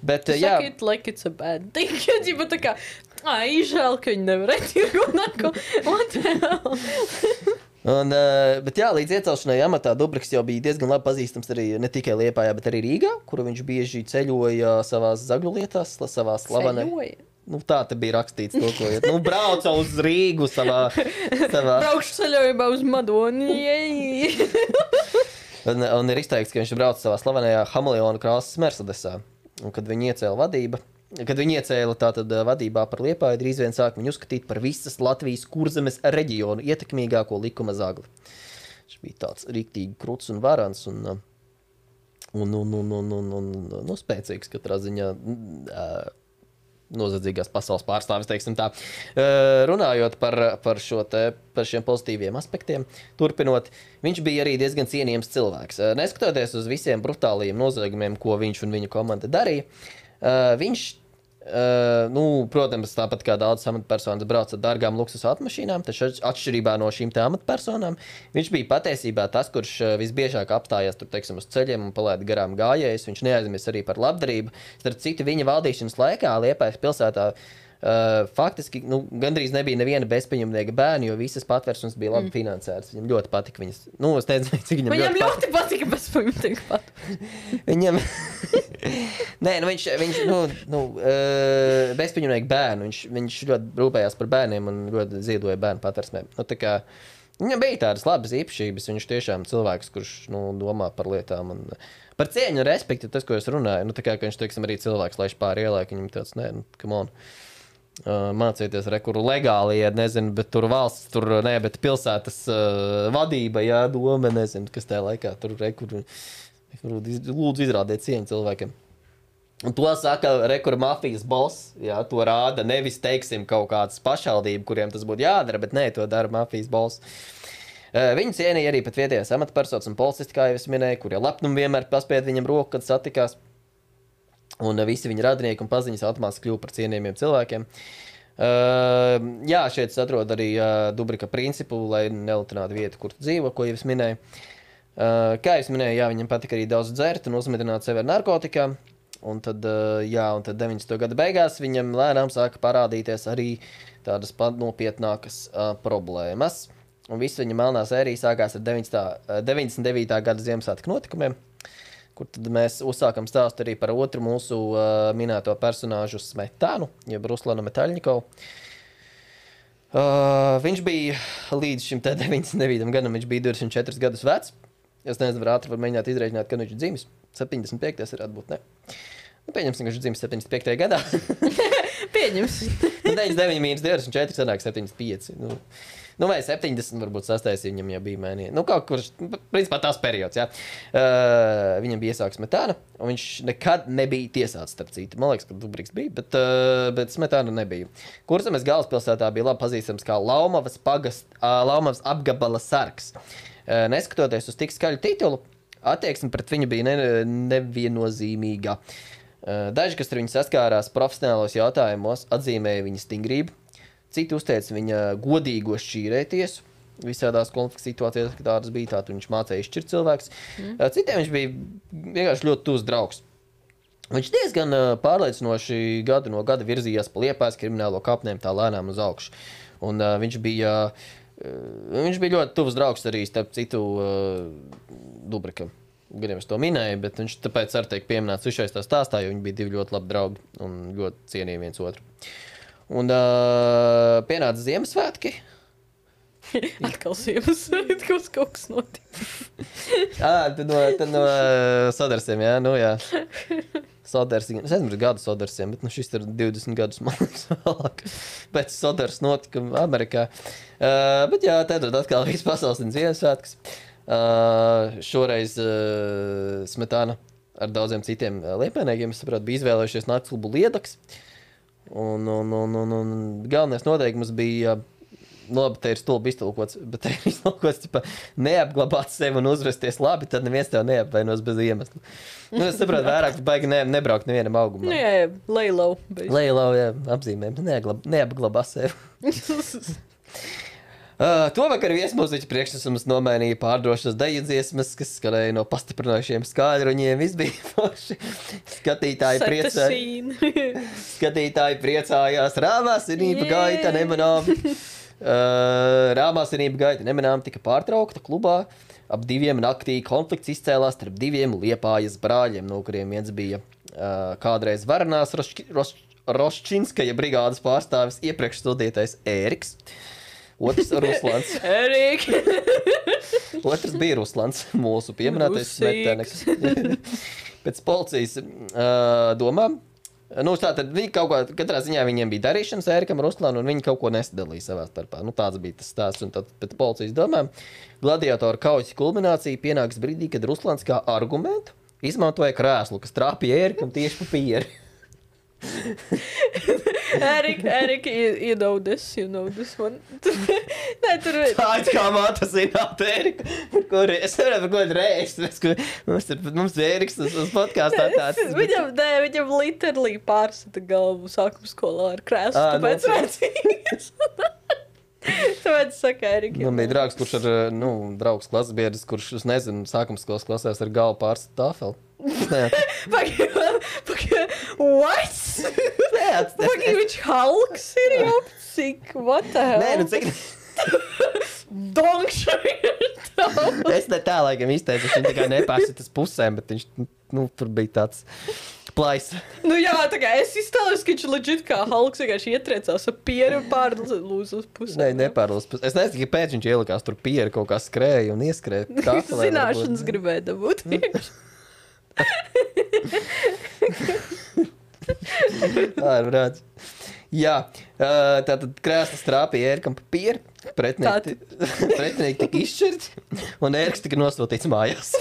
Bet, jā. Saka it like it's a bad thing. Jo tā kā, žēl, ka viņi nevarēja tirgot narko. What the hell? Bet jā, līdz iecelšanai amatā Dubriks jau bija diezgan labi pazīstams arī ne tikai Liepājā, bet arī Rīgā, kuru viņš bieži ceļoja savās zagļu lietās, savā slavenē. Tā te bija rakstīts to, ko iet. Brauca uz Rīgu savā... Braukšu ceļojumā uz Madoni. Un ir izteikts, ka viņš brauca savā slavenajā Hameleona krāsas Mercedesā. Un kad viņi iecēla tātad vadībā par Liepāju, drīz vien sāk viņu uzskatīt par visas Latvijas Kurzemes reģionu ietekmīgāko likuma zagli. Viņš bija tāds riktīgi kruts un varans un spēcīgs katrā ziņā nozadzīgās pasaules pārstāvis, teiksim tā. Runājot par šiem pozitīviem aspektiem, turpinot, viņš bija arī diezgan cienījams cilvēks. Neskatoties uz visiem brutālajiem noziegumiem, ko viņš un viņa komanda darīja, viņš, protams, tāpat kā daudz amatpersonas brauc ar dārgām luksus automašīnām, taču atšķirībā no šīm te amatpersonām, viņš bija patiesībā tas, kurš visbiežāk apstājās tur, teiksim, uz ceļiem un palaida garām gājējus. Viņš neaizmirst arī par labdarību. Starp citu, viņa valdīšanas laikā Liepājas pilsētā faktiski gandrīz nebija neviena bezpaņemnieka bērni, jo visas patversmes bija labi finansētas. Viņam ļoti patika viņas. Es nezinu, cik viņam ļoti patika bezpaņemnieka patversmes. Viņam... Nē, viņš bezpaņemnieka bērnu. Viņš ļoti rūpējās par bērniem un ļoti ziedoja bērnu patversmēm. Viņam bija tādas labas īpašības. Viņš tiešām cilvēks, kurš domā par lietām un par cieņu un respektu, tas, ko es runāju. Ka viņš, teiksim, arī cilvēks laiž pāri ielai, ka viņam tāds, come on. Mācieties rekuru legāli, ja nezinu, bet tur valsts, bet pilsētas vadība, jā, doma, nezinu, kas tajā laikā tur rekuru, lūdzu izrādiet cieņu cilvēkiem. Un to saka rekuru mafijas boss, jā, to rāda nevis, teiksim, kaut kāds pašvaldība, kuriem tas būtu jādara, bet nē, to dara mafijas boss. Viņu cienīja arī pat vietējās amatpersonas un policisti, kā jau es minēju, kurie lepnumi vienmēr paspied viņam roku, kad satikās. Un visi viņa radinieki un paziņas automātiski kļuva par cienījumiem cilvēkiem. Jā, šeit atrod arī Dubrika principu, lai nelutinātu vietu, kur dzīvo, ko jau es minēju. Kā jau es minēju, jā, viņam patika arī daudz dzert un uzmidināt sevi ar narkotikām. Un tad 90. gada beigās viņam lēnām sāka parādīties arī tādas nopietnākas problēmas. Un viss viņa melnā sērija sākās ar 99. gada Ziemassvētku notikumiem. kur tad mēs uzsākam stāstu arī par otru mūsu minēto personāžu Smetānu, jeb Ruslanu Metaļņikovu. Viņš bija līdz šim 99. gadam, viņš bija 24 gadus vecs. Es nezinu, ātri var mēģināt izreikināt, kad viņš ir dzimis. 75. varētu būt, ne? Nu, pieņemsim, ka viņš ir dzimis 75. gadā. Pieņemsim. 99 mīnus 24 sanāk 75. Nu, vai 70 varbūt sastājas, viņam jau bija mēnija. Nu, kaut kur, principā tās periods, jā. Viņam bija iesāks Smetāna, un viņš nekad nebija tiesāts, starp citu. Man liekas, ka Dubriks bija, bet Smetāna nebija. Kurzemes galvaspilsētā bija labi pazīstams kā Laumavas apgabala sargs. Neskatoties uz tik skaļu titulu, attieksme pret viņu bija neviennozīmīga. Daži, kas ar viņu saskārās profesionālos jautājumos, atzīmēja viņa stingrību. Citi uzteica viņa godīgo šķīrēties visādās konflikta situācijās, kad tādas bija, tātad viņš mācēja izšķirt cilvēks. Citiem viņš bija vienkārši ļoti tuvs draugs. Viņš diezgan pārliecinoši gadu no gada virzījās pa Liepājas kriminālo kapnēm tā lēnām uz augšu. Un viņš bija ļoti tuvs draugs arī, starp citu, Dubrikam. Gan jau es to minēju, bet viņš tāpēc arī tiek pieminēts višais tā stāstā, jo viņi bija divi ļoti labi draugi un ļoti cienīja viens otru. Un pienāca Ziemassvētki. Atkal Ziemassvētki, kaut kas notika. Tad no Sodarsiem, jā, nu jā. Sodars, es nezinu, gadu Sodarsiem, bet šis ir 20 gadus, man liekas, vēlāk. Pēc Sodars notika Amerikā. Bet jā, tad atkal viss pasaules un Ziemassvētkas. Šoreiz Smetāna ar daudziem citiem liepainiekiem, es saprotu, bija izvēlējušies naktsklubu Liedaks. Un galvenais noteikums bija, labi, te ir stulbi iztulkots, bet te ir iztulkots, neapglabāt sevi un uzvesties labi, tad neviens tev neapvainos bez iemesla. Nu, es saprotu, vairāk baigi nebraukt nevienam augumā. Nu, jā, lejlau. Lejlau, jā, apzīmēm, neapglabā sevi. To vakar viesmūziķa priekšnesums nomainīja pārdrošas deju dziesmas, kas skanēja no pastiprinošiem skaļruņiem. Viss bija forši. Skatītāji priecājās. Rāmā sinība gaita nemanām. Rāmā sinība gaita nemanām tika pārtraukta klubā. Ap 2 naktī konflikts izcēlās starp 2 Liepājas brāļiem, no kuriem viens bija kādreiz Varanās Roščinskaja brigādes pārstāvis iepriekš studētais Ēriks. Otrs Ruslans. Otrs bija Ruslans, mūsu pieminētais Smetēneks. Pēc policijas domām. Nu, tātad viņi kaut ko, katrā ziņā viņiem bija darīšanas Ērikam Ruslanu, un viņi kaut ko nesadalīja savā starpā. Nu, tāds bija tas stāsts, un tad pēc policijas domām gladiatoru kaujas kulminācija pienāks brīdī, kad Ruslans kā argumentu izmantoja krēslu, kas trāpīja Ērikam tieši pa pieri. Eric, you know this one. Nē, tur ir. Tā ir kā māta zināt Eriku, es nevaru par ko reizt, mums Eriks uz podkāstā tāds. Viņam literally pārsita galvu sākuma skolā ar krēslu, tāpēc redzīgs. Tāpēc saka Erika. Man bija draugs, kurš ar, draugs klasbiedrs, kurš, es nezinu, sākuma skolas klasēs ar galvu pārsita tāfeli. What? Viņš Hulks ir jau cik, what the hell? Nē, cik... Donkšai ir tā. Es ne tā, laikam, izteicu, viņš tā kā nepārsitas pusēm, bet viņš, tur bija tāds plais. Nu jā, tā kā es iztēlos, ka viņš legit kā Hulks vienkārši ietriecās ar pieru pārlūz uz pusēm. Nē, nepārlūz pusēm. Es nezinu, kāpēc viņš ielikās tur pieru, kaut kā skrēja un ieskrēja. Zināšanas gribēja dabūt. Tā ir brāds. Jā, tātad krēslas trāpīja Ērikam pa pieri, pretinieki tika izšķirti, un Ēriks tika nosūtīts mājās.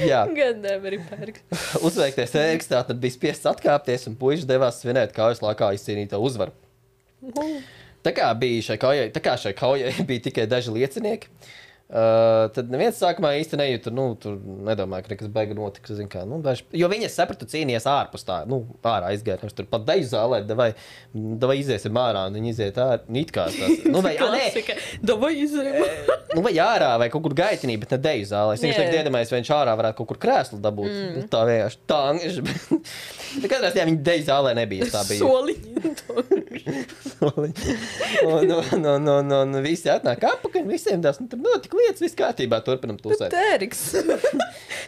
Jā. Gan nevar pērkt. Uzveiktais Ēriks tātad bija spiests atkāpties, un puiši devās svinēt kaujas laikā izcīnīto uzvaru. Tā kā šai kaujai bija tikai daži liecinieki, tad neviens sākumā īsti nejūta, tur nedomāja, ka nekas beiga notiks, jo viņi, es sapratu, cīnījās ārpus tā, ārā izgāja, tur pat deju zālē, davai iziesim ārā, un viņi iziet ārā, it kā tās, Klasika, davai iziesim. Vai ārā, vai kaut kur gaitinī, bet ne deju zālē. Es tagad iedomājos, vai viņš ārā varētu kaut kur krēslu dabūt, tā vienkārši tā, bet katrā ziņā viņi deju zālē nebija, tā bija. Soliņi. un visi atnāk apakaļ, visiem tās, tur notika lietas, viss kārtībā, turpinam tusēt. Ēriks.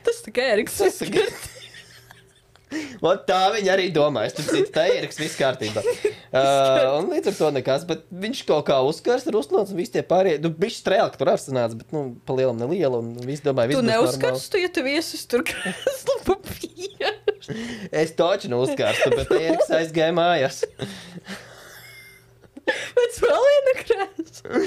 Tas tā kā Ēriks. Un tā viņi arī domā, es tur citu, tā Ēriks, viss kārtībā. Un līdz ar to nekas, bet viņš kaut kā uzskars ar uzklāts, un visi tie pārējie, bišķi strēlka tur arsanāts, bet, pa lielam nelielu, un visi domāja, viss būs normāli. Tu neuzskars, tu, ja tu viesis tur krēslu papīru. Es toči neuzkārstu, bet Ēriks aizgāja mājās. Pēc vēl viena krēsla.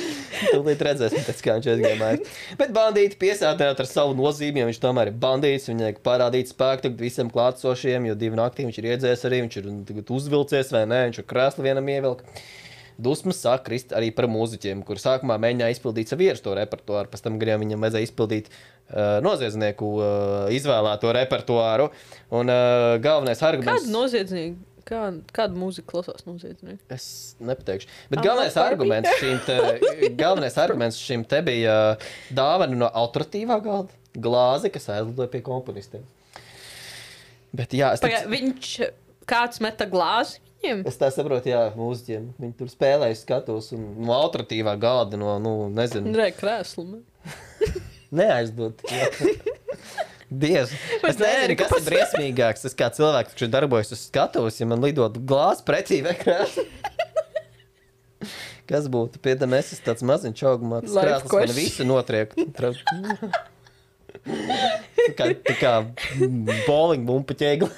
Tūlīt redzēsim, pēc kā viņš aizgāja mājās. Bet bandīti piesātināt ar savu nozīmi, jo viņš tomēr ir bandīts, viņai parādīt spēku tagad visiem klātsošiem, jo 2 naktī viņš ir iedzēs arī, viņš ir tagad uzvilcies vai nē, viņš ir krēslu vienam ievilk. Dusmas sāk krist arī par mūziķiem, kur sākumā mēģināja izpildīt savu ieраsto repertuāru, pēc tam gan viņam vajadzēja izpildīt noziedznieku izvēlēto repertuāru. Un galvenais arguments... Kādu noziedznieku? Kādu mūziku klausās noziedznieki? Es nepateikšu. Bet galvenais arguments šim te bija dāvana no autoritīvā galda. Glāze, kas aizlidoja pie komponistiem. Bet jā... Kāds meta glāzi? Es tā saprotu, jā, mūziķiem. Viņi tur spēlēja skatos un no autoritīvā galda, nezinu. Re, krēslu. Neaizdot. Dievs. Es nezinu, kas ir briesmīgāks. Es kā cilvēks, kurš darbojas uz skatuves, ja man lidot glāzi pretī vai krēslu. Kas būtu? Piedam, es esmu tāds maziņš augumāts. Krēsls man visu notriek. Tā kā bowling bumpa ķēgla.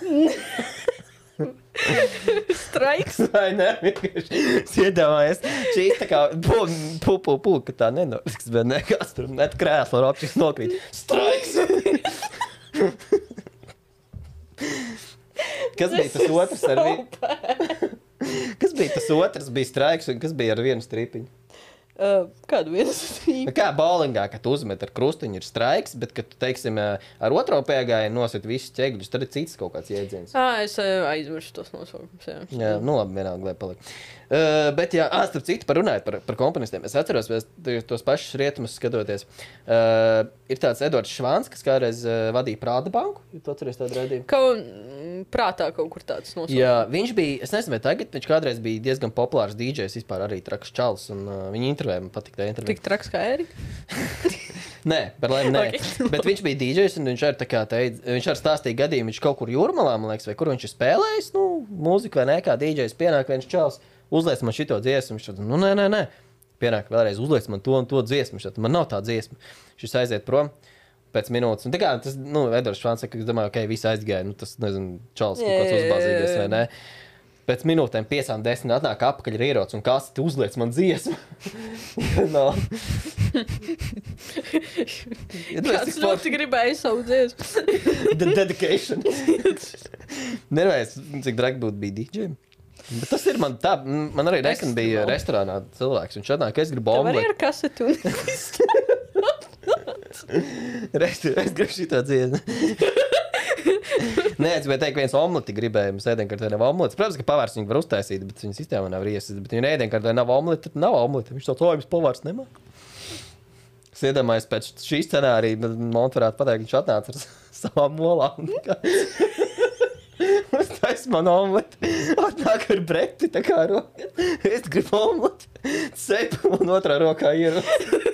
Straiks. Vai ne, vienkārši. Es iedomājies. Šīs tā kā ka tā nenoriks, bet nekas tur net krēsla ropčiks nokrīt. Straiks. Kas bija tas otrs ar vienu? Kas bija tas otrs? Bija straiks un kas bija ar vienu stripiņu? Kādu vienu stripiņu? Kā bowlingā, kad uzmet ar krustiņu ir straiks, bet, kad tu, teiksim, ar otro piegāju nosit visus ķegļus, tad ir cits kaut kāds jēdziens. Es aizmiršu tos nosaukums, jā. Jā, labi, vienalga, lai paliek. Bet, jā, starp citu, runājot par komponistiem, es atceros, tos pašus rietumus skatoties. Ir tāds Edvards Švāns, kas kādreiz vadīja Prāda banku, ja tu atceries tādu raidījumu. Prātā kaut kur tāds nosaukums. Jā, viņš bija, es nezinu, vai tagad, viņš kādreiz bija diezgan populārs DJs, vispār arī traks čals, un viņa intervēja, man patīk tā intervēja. Tik traks kā Erika? Nē, par laimi nē. Okay. Bet viņš bija DJs, un viņš arī tā kā teica, viņš arī stāstīja gadījumu, viņš kaut kur Jūrmalā, man liekas, vai kur viņš ir spēlējis, mūziku vai ne, kā DJs pienāk viens čals, uzliec man šito dziesmu, viņš tad, nē, pienāk vēlreiz, uzliec man to un to dziesmu, viņš tad, man nav tā dziesma, šis aiziet prom pēc minūtes, un tā kā tas, Edvards Švāns saka, es domāju, ok, visi aizgāja, tas, nezinu, čals kaut kāds uzbāzījies vai ne. Pēc minūtēm 5-10 atnāk apakaļ ar ieroci un kaseti uzliec man dziesmu. Kāds ļoti gribēja savu dziesmu. The dedication. Nervējis, cik dragi būtu bija DJiem. Bet tas ir man tā, man arī nesen bija restorānā cilvēks, viņš atnāk, es gribu omleti. Tev arī ar kasetu un es gribu šitā dziesmu. Nē, es gribēju teikt, viens omleti gribēja, mums ēdienkartē nav omletes. Protams, ka pavārs viņu var uztaisīt, bet viņa sistēmā nav riesis. Bet viņa ēdienkartē nav omleti, tad nav omleti. Viņš tāds, jums pavārs nemāk. Es iedomājos pēc šī scenārija, man varētu pateikt, viņš atnāca ar savām molām. Uztais man omleti. Atnāk ar breti, tā kā roka. Es gribu omleti. Cepu un otrā rokā ieroci.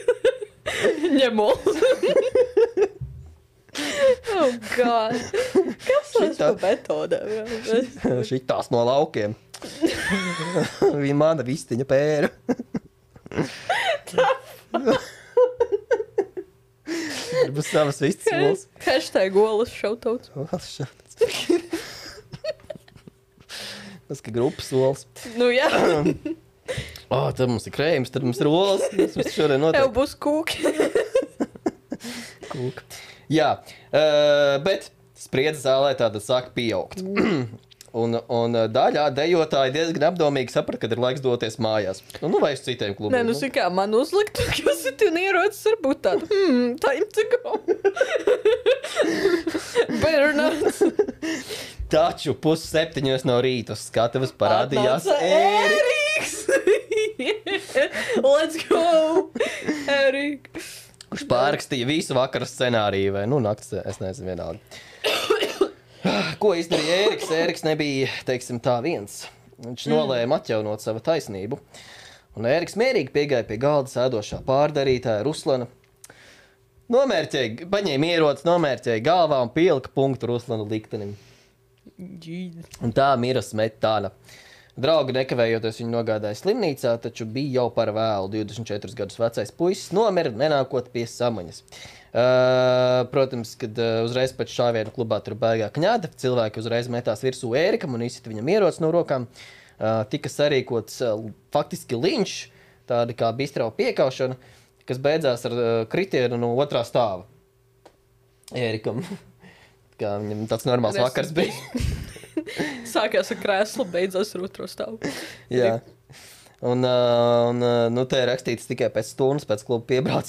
ņem omleti. Oh, God. Kas tas par metodēm? Šitās no laukiem. Viņa mana vistiņa pēra. Būs savas vistas olas. Hashtag olas šautauts. Olas šautauts. Tas, ka grupas olas. Jā. Tad mums ir krējums, tad mums ir olas. Mums šodien notiek. Tev būs kūki. Kūka. Jā, bet spriedze zālē tāda sāk pieaugt. Un daļā dejotāji diezgan apdomīgi saprat, kad ir laiks doties mājās. Vai uz citiem klubiem. Nē, kā man uzlikt, kas ir tu ierocis, varbūt tāda, time to go. Better not. Taču 6:30 no rīta uz skatuves parādījās Ēriks. Let's go, Ēriks. Kurš pārrakstīja visu vakara scenāriju, vai nakts, es nezinu vienalga. Ko izdarīja Ēriks? Ēriks nebija, teiksim tā, viens. viņš nolēma atjaunot savu taisnību. Un Ēriks mierīgi piegāja pie galda sēdošā pārdarītāja Ruslana. Paņēma ieroci, nomērķēja galvā un pielika punktu Ruslana liktenim. Un tā mira Smetāna. Draugi nekavējoties viņu nogādāja slimnīcā, taču bija jau par vēlu. 24 gadus vecais puisis nomira, nenākot pie samaņas. Protams, kad uzreiz pēc šāvienu klubā tur baigā kņāda, cilvēki uzreiz metās virsū Ērikam un izsita viņam ieroci no rokām. Tika sarīkots faktiski linčs, tāda kā bistrau piekaušana, kas beidzās ar kritienu no otrā stāva Ērikam. Kā viņam tāds normāls vakars bija. Sākās ar krēslu, beidzās ar otro stāvu. Jā. Un te ir rakstīts tikai pēc stundas, pēc kluba piebrauc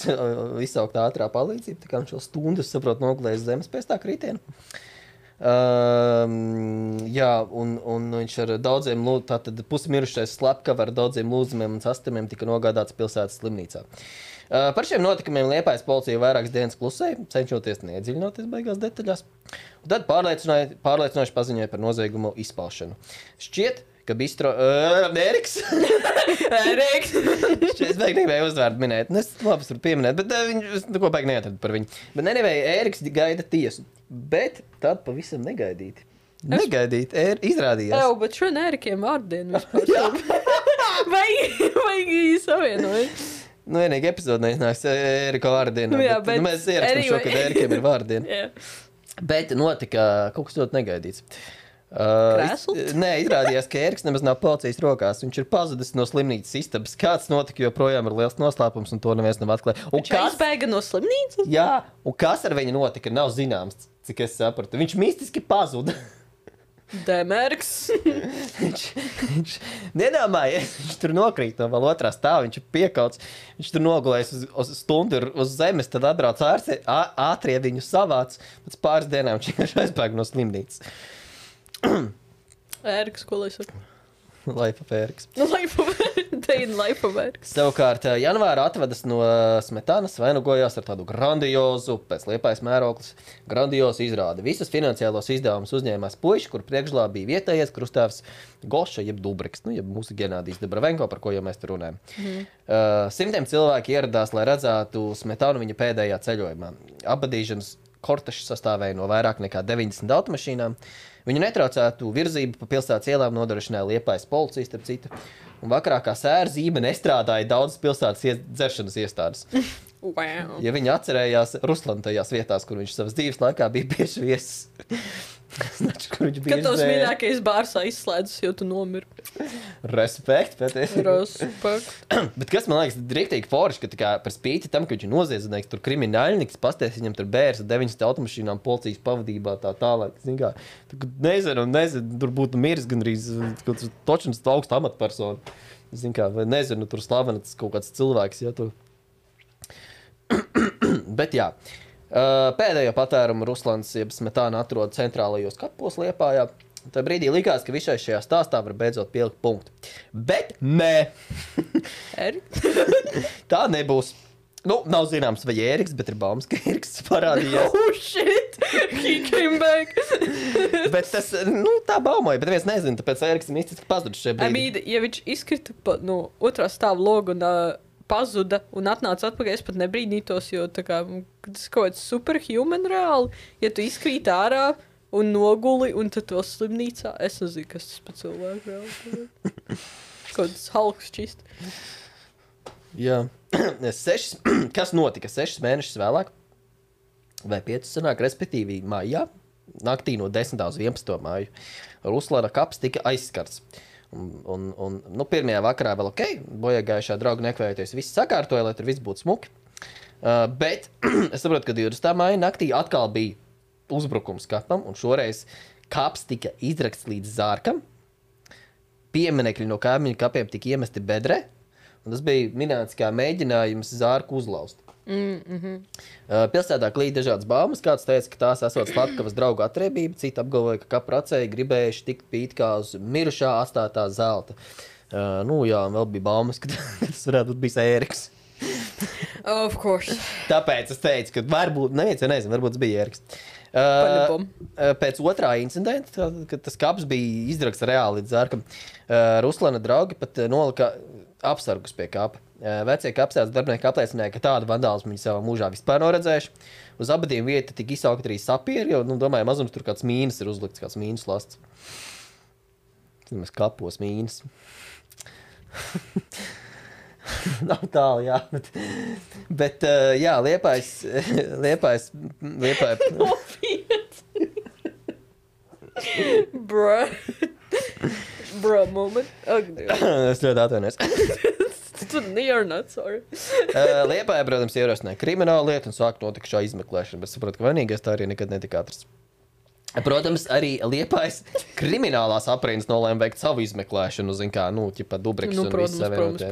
izsaukt ātrā palīdzība. Tā kā viņš vēl stundu, es saprotu, nogulējas zemes pēc tā kritiena. Jā, un viņš ar daudziem, tātad pusmirušais slepkava ar daudziem lūzumiem un sastamiem tika nogādāts pilsētas slimnīcā. Par šiem notikumiem Liepājas policija vairākas dienas klusēja, cenšoties neiedziļinoties beigās detaļās. Un tad pārliecinoši paziņoja par noziegumu izpaušanu. Šķiet, ka bistro... Ēriks? Ēriks! Šķiet, es beig negribēju uzvārdu minēt. Es labi varu pieminēt, bet viņš neko beig neatradu par viņu. Bet Ēriks gaida tiesu. Bet tad pavisam negaidīti. Izrādījās. Jā, bet šodien Ērikiem vārdienu vispār. Vai savienoja? Nu, vienīgi epizode neiznāks Ērika vārdienu. Jā, bet mēs ierakstām šo, kad Ērikiem ir vārdienu. Bet notika kaut kas ļoti negaidīts. Nē, izrādījās, ka Ēriks nemaz nav policijas rokās. Viņš ir pazudis no slimnīcas istabas. Kāds notika, joprojām ir liels noslēpums, un to neviens nav atklājis. Viņš aizbēga no slimnīcas? Jā, un kas ar viņu notika, nav zināms, cik es sapratu. Viņš mistiski pazuda. Demērks. viņš nedomājies, viņš tur nokrīt no vēl otrā stāva, viņš ir piekauts, viņš tur nogulējis uz stundu uz zemes, tad atbrauc ātrie viņu savāc, pēc pāris dienām viņš vienkārši aizbēga no slimnīcas. Ēriks, ko lai saka? Life of Ēriks. Life of Ēriks. Savukārt, janvāra atvedas no Smetānas, vainagojās ar tādu grandiozu, pēc Liepājas mērauklis, grandiozu izrādi. Visas finansiālos izdevumus uzņēmās puiši, kur priekšgalā bija vietējais krustāvs Goša, jeb Dubriks, jeb mūsu Genādijs Dobravenko, par ko jau mēs tur runājam. Simtiem cilvēki ieradās, lai redzētu Smetānu viņa pēdējā ceļojumā. Abadīšanas kortešs sastāvēja no vairāk nekā 90 automašīnām. Viņu netraucētu virzību pa pilsētas ielām nodrošināja Liepājas policija, starp citu. Un vakarā kā sēra zīme nestrādāja daudzas pilsētas dzeršanas iestādes. Wow. Ja viņi atcerējās Ruslanu tajās vietās, kur viņš savas dzīves laikā bija bieži viesis. Znači, kur viņš bieži Kad tavs mīļākais bārs aizslēdzas, jo tu nomiri. Respekt, patiesi. Respekt. Bet kas man liekas riktīgi forši, ka tā kā par spīti tam, ka viņš ir noziedznieks, tur krimināļnieks, pasties viņam tur bērs ar 900 automašīnām policijas pavadībā tā tālāk. Nezinu, tur būtu miris gandrīz točins augstu amatpersonu. Vai nezinu, tur slavenats kaut kāds cilvēks, ja tu. Bet jā. Pēdējo patērumu Ruslans jeb Smetāna atrod centrālajos kapos Liepājā. Tā brīdī likās, ka visai šajā stāstā var beidzot pielikt punktu. Bet nē! Tā nebūs. Nu, nav zināms, vai Ēriks, bet ir baumas, ka Ēriks parādījās. Oh, shit! He came back! Bet tas, tā baumoja, bet neviens nezina, tāpēc Ēriks ir mistiski pazudis šajā brīdī. Ja viņš izkrita no otrā stāva logu un pazuda un atnāca atpakaļ, es pat nebrīnītos, jo tā kā, tas kaut kāds superhuman reāli, ja tu izkrīt ārā un noguli un tad to slimnīcā, es nezinu, kas tas pa cilvēku reāli. Kaut kāds Hulks čist. Jā. Kas notika 6 mēnešus vēlāk? Vai 5 sanāk, respektīvi maijā, naktī no 10. uz 11. māju, Ruslana kaps tika aizskarts. Un pirmajā vakarā vēl ok, bojāgājušā drauga nekvējoties, viss sakārtoja, lai tur viss būtu smuki. Bet es saprotu, ka 20. māja naktī atkal bija uzbrukums kapam, un šoreiz kaps tika izrakts līdz zārkam. Pieminekļi no kaimiņu kapiem tika iemesti bedrē, un tas bija minēts kā mēģinājums zārku uzlaust. Pilsētā klīd dažādas baumas. Kāds teica, ka tās esot slepkavas draugu atriebība, citi apgalvoja, ka kapracēji gribējuši tikt pīt kā uz mirušā atstātā zelta. Jā, un vēl bija baumas, ka tas varētu būt bijis Ēriks. Of course. Tāpēc es teicu, ka varbūt, nezinu, varbūt tas bija Ēriks. Pēc otrā incidenta, kad tas kaps bija izdragts reāli līdz zārkam, Ruslana draugi pat nolika apsargus pie kapa. Vecie kapsētas darbinieki apliecināja, ka tādu vandālismu viņi savā mūžā vispār nav redzējuši. Uz abadiem vieta tika izsaukt arī sapieri, jo, domāju, mazums tur kāds mīnas ir uzlikts, kāds mīnas lasts. Mēs kapos mīnas. Nav tālu, jā. Bet jā, Liepājas. Bro moment. Es ļoti atvainojos. You're not sorry. Liepāja, protams, ierosināja kriminālu lietu un sāk notikšā izmeklēšana, bet saprotu, ka vainīgais tā arī nekad netika atrasts. Protams, arī Liepājas kriminālās aprīnas nolēma veikt savu izmeklēšanu, ķipa Dubriks un visi savienotie.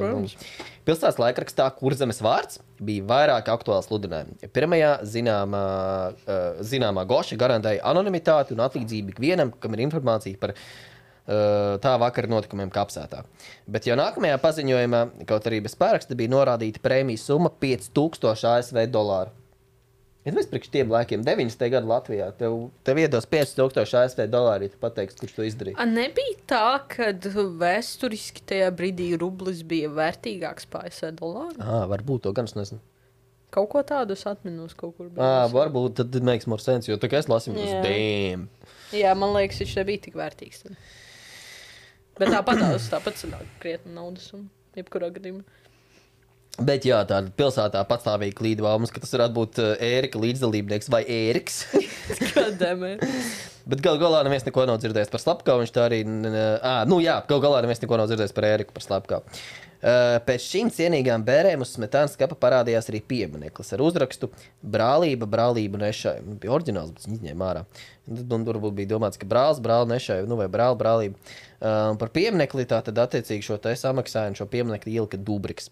Pilsētas laikrakstā Kurzemes vārds bija vairāk aktuāli sludinājumi. Pirmajā zināmā Goša garantēja anonimitāti un atlīdzību ikvienam, kam ir informācija par tā vakara notikumiem kapsētā. Bet jau nākamajā paziņojumā, kaut arī bez pāraksta, bija norādīta prēmijas summa $5000 ASV. Ja mēs priekš tiem laikiem 90. gadu Latvijā, tev iedos $5000 ASV, ja tu pateiksi, kurš to izdarīja. Nebija tā, kad vēsturiski tajā brīdī rublis bija vērtīgāks par ASV dolāru? Varbūt to gan es nezinu. Kaut ko tādu es atminos kaut kur. Varbūt tad makes more sense, jo tā kā es lasīju, tas damn. Jā, man liekas, viņš nebija tik vērtīgs. Tad. Bet tāpat sanāk krietni naudas un jebkurā gadījumā. Bet jā, tāda pilsētā patstāvīgi klīd baumas, ka tas varētu būt Ērika līdzdalībnieks vai Ēriks. Kādēmē? Bet gal galā neviens neko nav dzirdējis par slepkavu, viņš tā arī... gal galā neviens neko nav dzirdējis par Ēriku par slepkavu. Pēc šīm cienīgām bērēm uz smetānas kapa parādījās arī piemineklis ar uzrakstu brālību nešai. Bija oriģināls, bet viņi izņēma ārā. Un varbūt bija domāts, ka brāli nešai, vai brālība. Par pieminekli tā tad attiecīgi šo te samaksāju un šo pieminekli ielika Dubriks.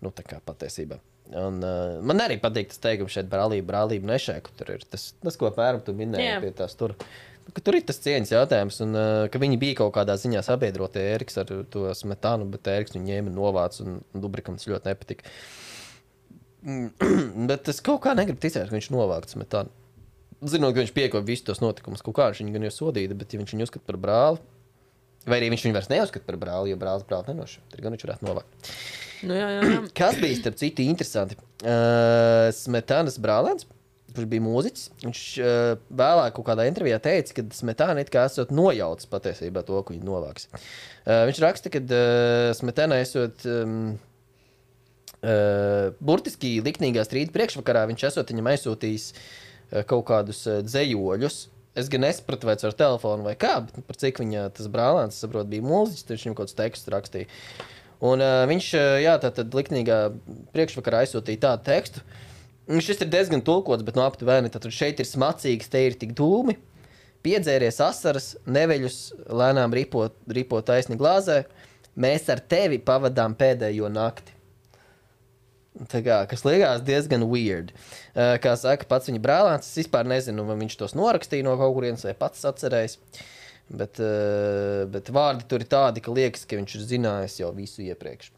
Tā kā patiesībā. Un, man arī patīk tas teikums šeit brālība nešai, ka tur ir tas ko pēram tu minēji pie tās tur. Ka tur ir tas cieņas jautājums, un ka viņi bija kaut kādā ziņā sabiedrotie Ēriks ar to smetānu, bet Ēriks viņu ņēma novāc, un Dubrikam tas ļoti nepatika. Bet es kaut kā negribu ticēt, ka viņš novākt smetānu. Zinot, ka viņš piekoja visu tos notikumus, kaut kā viņš viņu gan jau sodīja, bet ja viņš viņu uzskata par brāli, vai arī viņš viņu vairs neuzskata par brāli, jo brālis nenoša, tad gan viņš varētu novākt. Jā. Kas bija, starp citu, interesanti? Smetānas brālēns, kurš bija mūziķis, viņš vēlāk kaut kādā intervijā teica, ka Smetāna it kā esot nojaucis patiesībā to, ko viņi novāks. Viņš raksta, ka Smetāna esot burtiski liknīgā strīda priekšvakarā, viņš esot viņam aizsūtījis kaut kādus dzējoļus. Es gan nesapratu, vai ar telefonu vai kā, bet par cik viņa tas brālēns, saprot, bija mūziķis, tad viņam kaut kāds tekstus rakstīja. Un viņš, tātad liknīgā priekšvakarā aizsūtīja tādu tekstu. Šis ir diezgan tulkots, bet aptuveni, tad šeit ir smacīgs, te ir tik dūmi, piedzēries asaras, neveļus, lēnām ripo taisni glāzē, mēs ar tevi pavadām pēdējo nakti. Tā kā, kas liekas diezgan weird. Kā saka pats viņa brālēns, es vispār nezinu, vai viņš tos norakstīja no kaut kurienes vai pats atcerējis. Bet vārdi tur ir tādi, ka liekas, ka viņš ir zinājis jau visu iepriekš.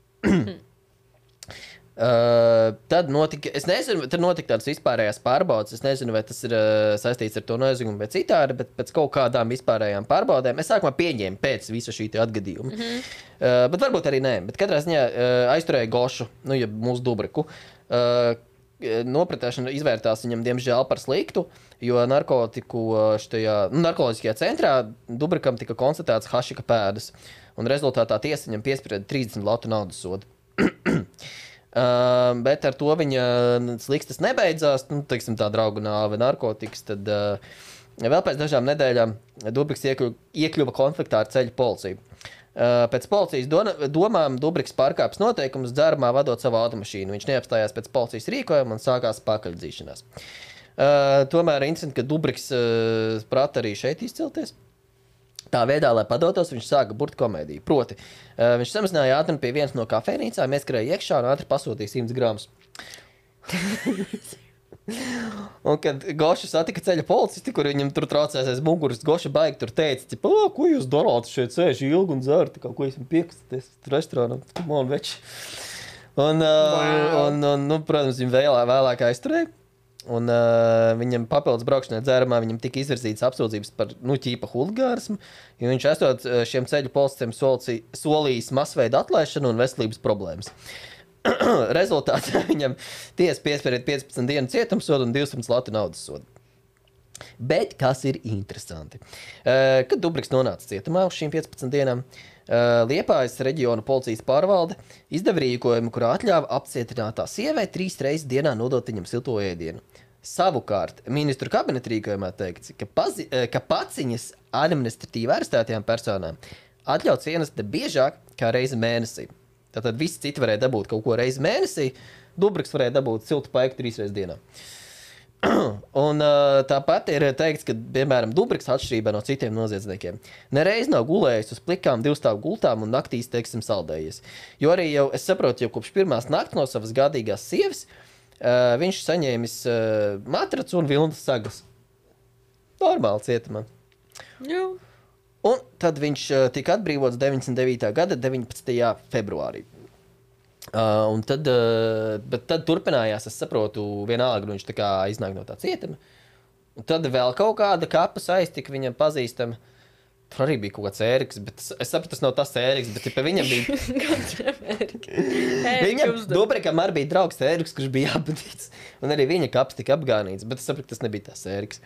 Tad notika tādas vispārējās pārbaudes. Es nezinu, vai tas ir saistīts ar to noziegumu vai citādi, bet pēc kaut kādām vispārējām pārbaudēm es sākumā pieņēmu pēc visa šī atgadījuma. Bet varbūt arī nē. Bet katrā ziņā aizturēja Gošu, mūsu Dubriku. Nopratēšana izvērtās viņam, diemžēl, par sliktu, jo narkoloģiskajā centrā Dubrikam tika konstatēts hašika pēdas, un rezultātā tiesa viņam piesprieda 30 latu naudas sodu. Bet ar to viņa slikstas nebeidzās, tā draugu nāve narkotikas, tad vēl pēc dažām nedēļām Dubriks iekļuva konfliktā ar ceļu policiju. Pēc policijas domām Dubriks pārkāpis noteikumus dzērumā vadot savu automašīnu. Viņš neapstājās pēc policijas rīkojuma un sākās pakaļdzīšanās. Tomēr interesanti, ka Dubriks prata arī šeit izcelties. Tā veidā, lai padotos, viņš sāka burt komēdiju. Proti, viņš samazināja ātrumu pie vienas no kafejnīcām, ieskrēja iekšā un ātri pasūtīja 100 gramus. Un, kad Goša satika ceļa policisti, kur viņam tur traucēs aiz muguras, Goša baigi tur teica, ko jūs darāt šeit sēž ilgi un dzer, kā ko esam piekastaties restorānam, come on, veči. Un, protams, viņu vēlāk aizturēja. Un viņam papildus braukšanai dzērumā viņam tika izvirzītas apsūdzības par, ķīpa huligānismu, jo viņš esot šiem ceļu policistiem solījis masveida atlaišanu un veselības problēmas. Rezultātā viņam tiesa piesprieda 15 dienu cietumsodu un 200 latu naudas sodu. Bet kas ir interesanti? Kad Dubriks nonāca cietumā uz šīm 15 dienām, Liepājas reģiona policijas pārvalde izdeva rīkojumu, kurā atļāva apcietinātā sievai 3 reizes dienā nodot viņam silto ēdienu. Savukārt, ministru kabineta rīkojumā teikts, ka paciņas administratīvi arestētajām personām atļauts ienest biežāk kā reizi mēnesī. Tātad visi citi varēja dabūt kaut ko reizi mēnesī, Dubriks varēja dabūt siltu paiku 3 reizes dienā. Un tāpat ir teikts, ka, piemēram, Dubriks atšķirībā no citiem noziedzniekiem nereiz nav gulējis uz plikām 2-stāvu gultām un naktīs, teiksim, saldējies. Jo arī jau, es saprotu, jau kopš pirmās nakts no savas gādīgās sievas viņš saņēmis matracu un vilnas sagas. Normāli cietumā. Jā. Un tad viņš tika atbrīvots 99. gada 19. februārī. Un tad, bet tad turpinājās, es saprotu, vienalga, viņš tā kā iznāk no tā cietuma. Un tad vēl kaut kāda kapa saistika viņam pazīstama. Tur arī bija kaut kāds Ēriks, bet es sapratu, tas nav tas Ēriks, bet pa viņam bija... Viņam, Dubrikam arī bija draugs Ēriks, kurš bija apbadīts. Un arī viņa kaps tika apgānīts, bet es sapratu, tas nebija tas Ēriks.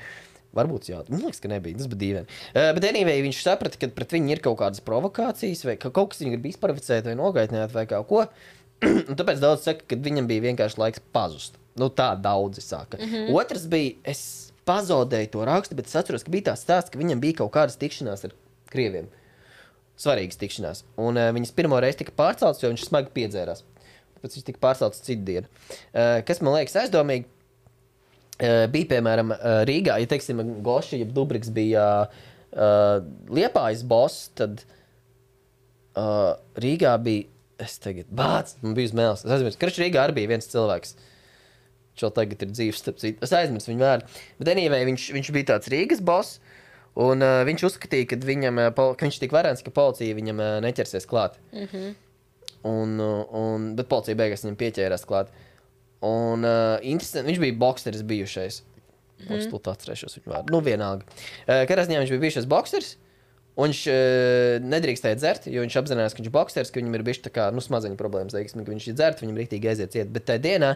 Varbūt jā, man liekas, ka nebija, tas bija dīvaini. Bet anyway, viņš saprata, ka pret viņu ir kaut kādas provokācijas, vai ka kaut kas viņu grib izprovocēt vai nogaitnēt vai kaut ko. Un tāpēc daudz saka, ka viņam bija vienkārši laiks pazust. Tā daudzi saka. Otrs bija, es pazaudēju to rakstu, bet es atceros, ka bija tāds stāsts, ka viņam bija kaut kādas tikšanās ar krieviem. Svarīgas tikšanās. Un viņas pirmo reizi tika pārceltas, jo viņš smagi piedzērās. Tāpēc viņš tika pārceltas citu dienu. Kas man liekas aizdomīgi, bija, piemēram, Rīgā, ja teiksim, Goši, ja Dubriks bija Liepājas boss, tad Rīgā bija es tagad bāc, man bija uz mēles. Es aizmirstu, ka Rīgā arī bija viens cilvēks. Šo tagad ir dzīves, starp citu. Es aizmirstu viņu vārdu. Bet anyway, viņš bija tāds Rīgas boss, un viņš uzskatīja, ka viņš tik varens, ka policija viņam neķersies klāt. Bet policija beigās viņam pieķērās klāt. Un interesanti, viņš bija bokseris bijušais. Es to atcerēšos viņu vārdu. Vienalga. Kādā ziņā viņš bija bijušais bokseris, un viņš nedrīkstēja dzert, jo viņš apzinājās, ka viņš ir bokseris, ka viņam ir bišķi tā kā, smadzeņu problēmas, teiksim, ka viņš ir dzert, viņam rīktīgi aiziet ciet. Bet tajā dienā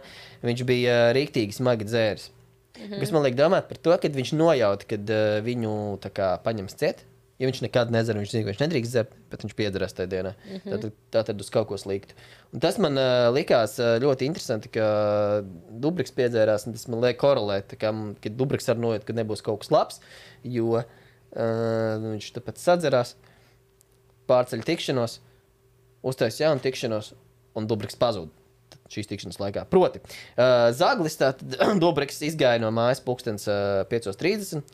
viņš bija rīktīgi smagi dzēris. Kas man liek domāt par to, kad viņš nojauta, kad viņu tā kā paņems ciet, jo viņš nekad nedzer, viņš zina, ka viņš nedrīkst dzert, bet viņš piedzerās tajā dienā. Tātad uz kaut ko sliktu. Un tas man likās ļoti interesanti, ka Dubriks piedzērās, un tas man liek korelēt, ka Dubriks arī nojauta, ka nebūs kaut kas labs, jo viņš tāpēc sadzerās, pārceļ tikšanos, uztais jaunu tikšanos, un Dubriks pazūd šīs tikšanas laikā. Proti, Zaglis, tātad Dubriks izgāja no mājas pulkstens 5:30,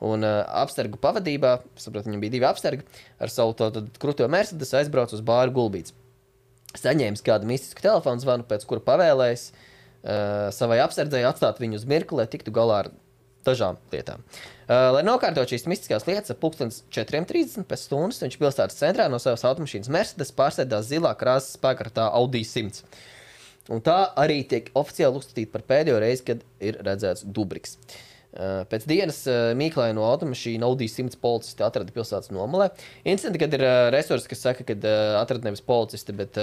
un apstergu pavadībā, sapratu, viņam bija 2 apstergi, ar savu kruto Mercedes aizbrauc uz bāru Gulbīts. Saņēmis kādu mistisku telefonu zvanu, pēc kura pavēlējis savai apsardzēji atstāt viņu uz mirkli, lai tiktu galā ar dažām lietām. Lai nokārtot šīs mistiskās lietas, ap 4:30 pēc stundas viņš pilsētas centrā no savas automašīnas Mercedes pārsēdās zilā krāsas spēkartā Audi 100. Un tā arī tiek oficiāli uzskatīta par pēdējo reizi, kad ir redzēts Dubriks. Pēc dienas mīklēja no automašīna Audi 100 policisti atrada pilsētas nomalē. Incidenti, kad ir resursi, kas saka, kad atrada nevis policisti, bet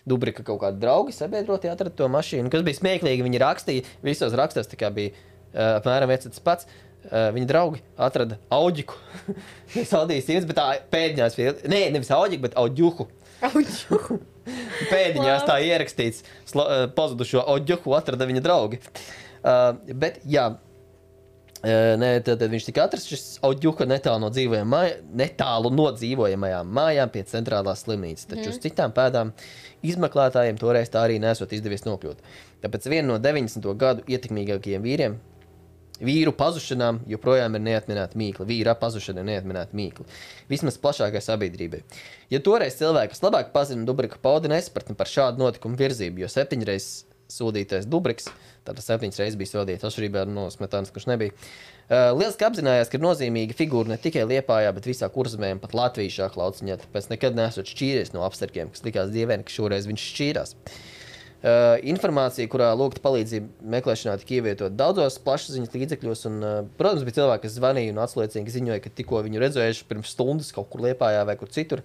Dubrika kaut kādi draugi sabiedrotie atrada to mašīnu. Kas bija smieklīgi, viņi rakstīja, visos rakstos tā kā bija apmēram viens tas pats. Viņa draugi atrada Auģiku. Nevis Audi 100, bet tā pēdiņās nevis Auģiku, bet Auģuhu. Pēdiņās tā ierakstīts. Pazudušo Auģuhu atrada viņa draugi. Bet, jā, tad viņš tika atrasts šis Auģuka netālu no dzīvojamajām mājām pie centrālās slimnīcas. Taču uz citām pēdām izmeklētājiem toreiz tā arī nesot izdevies nokļūt. Tāpēc viena no 90. gadu ietekmīgākajiem vīru pazušanām joprojām ir neatminēta mīkla. Vīra pazušana ir neatminēta mīkla. Vismaz plašākai sabiedrībai. Ja toreiz cilvēki, kas labāk pazina Dubrika pauda, nesapratni par šādu notikumu virzību, jo sodītais Dubriks. Tātad 7 reizes bija sodīts atšķirībā no Smetānas, kurš nebija. Lieliski apzinājās, ka ir nozīmīga figūra ne tikai Liepājā, bet visā Kurzemē un pat Latvijas šāka lauciņā, tāpēc nekad nesot šķīries no apstarkiem, kas likās dievēni, ka šoreiz viņš šķīrās. Informācija, kurā lūgta palīdzību meklēšanā, tika ievietot daudzos plašsaziņas līdzekļos, un, protams, bija cilvēki, kas zvanīja un atsliecīgi ziņoja, ka tikko viņu redzējuši pirms stundas kaut kur Liepājā vai kur citur.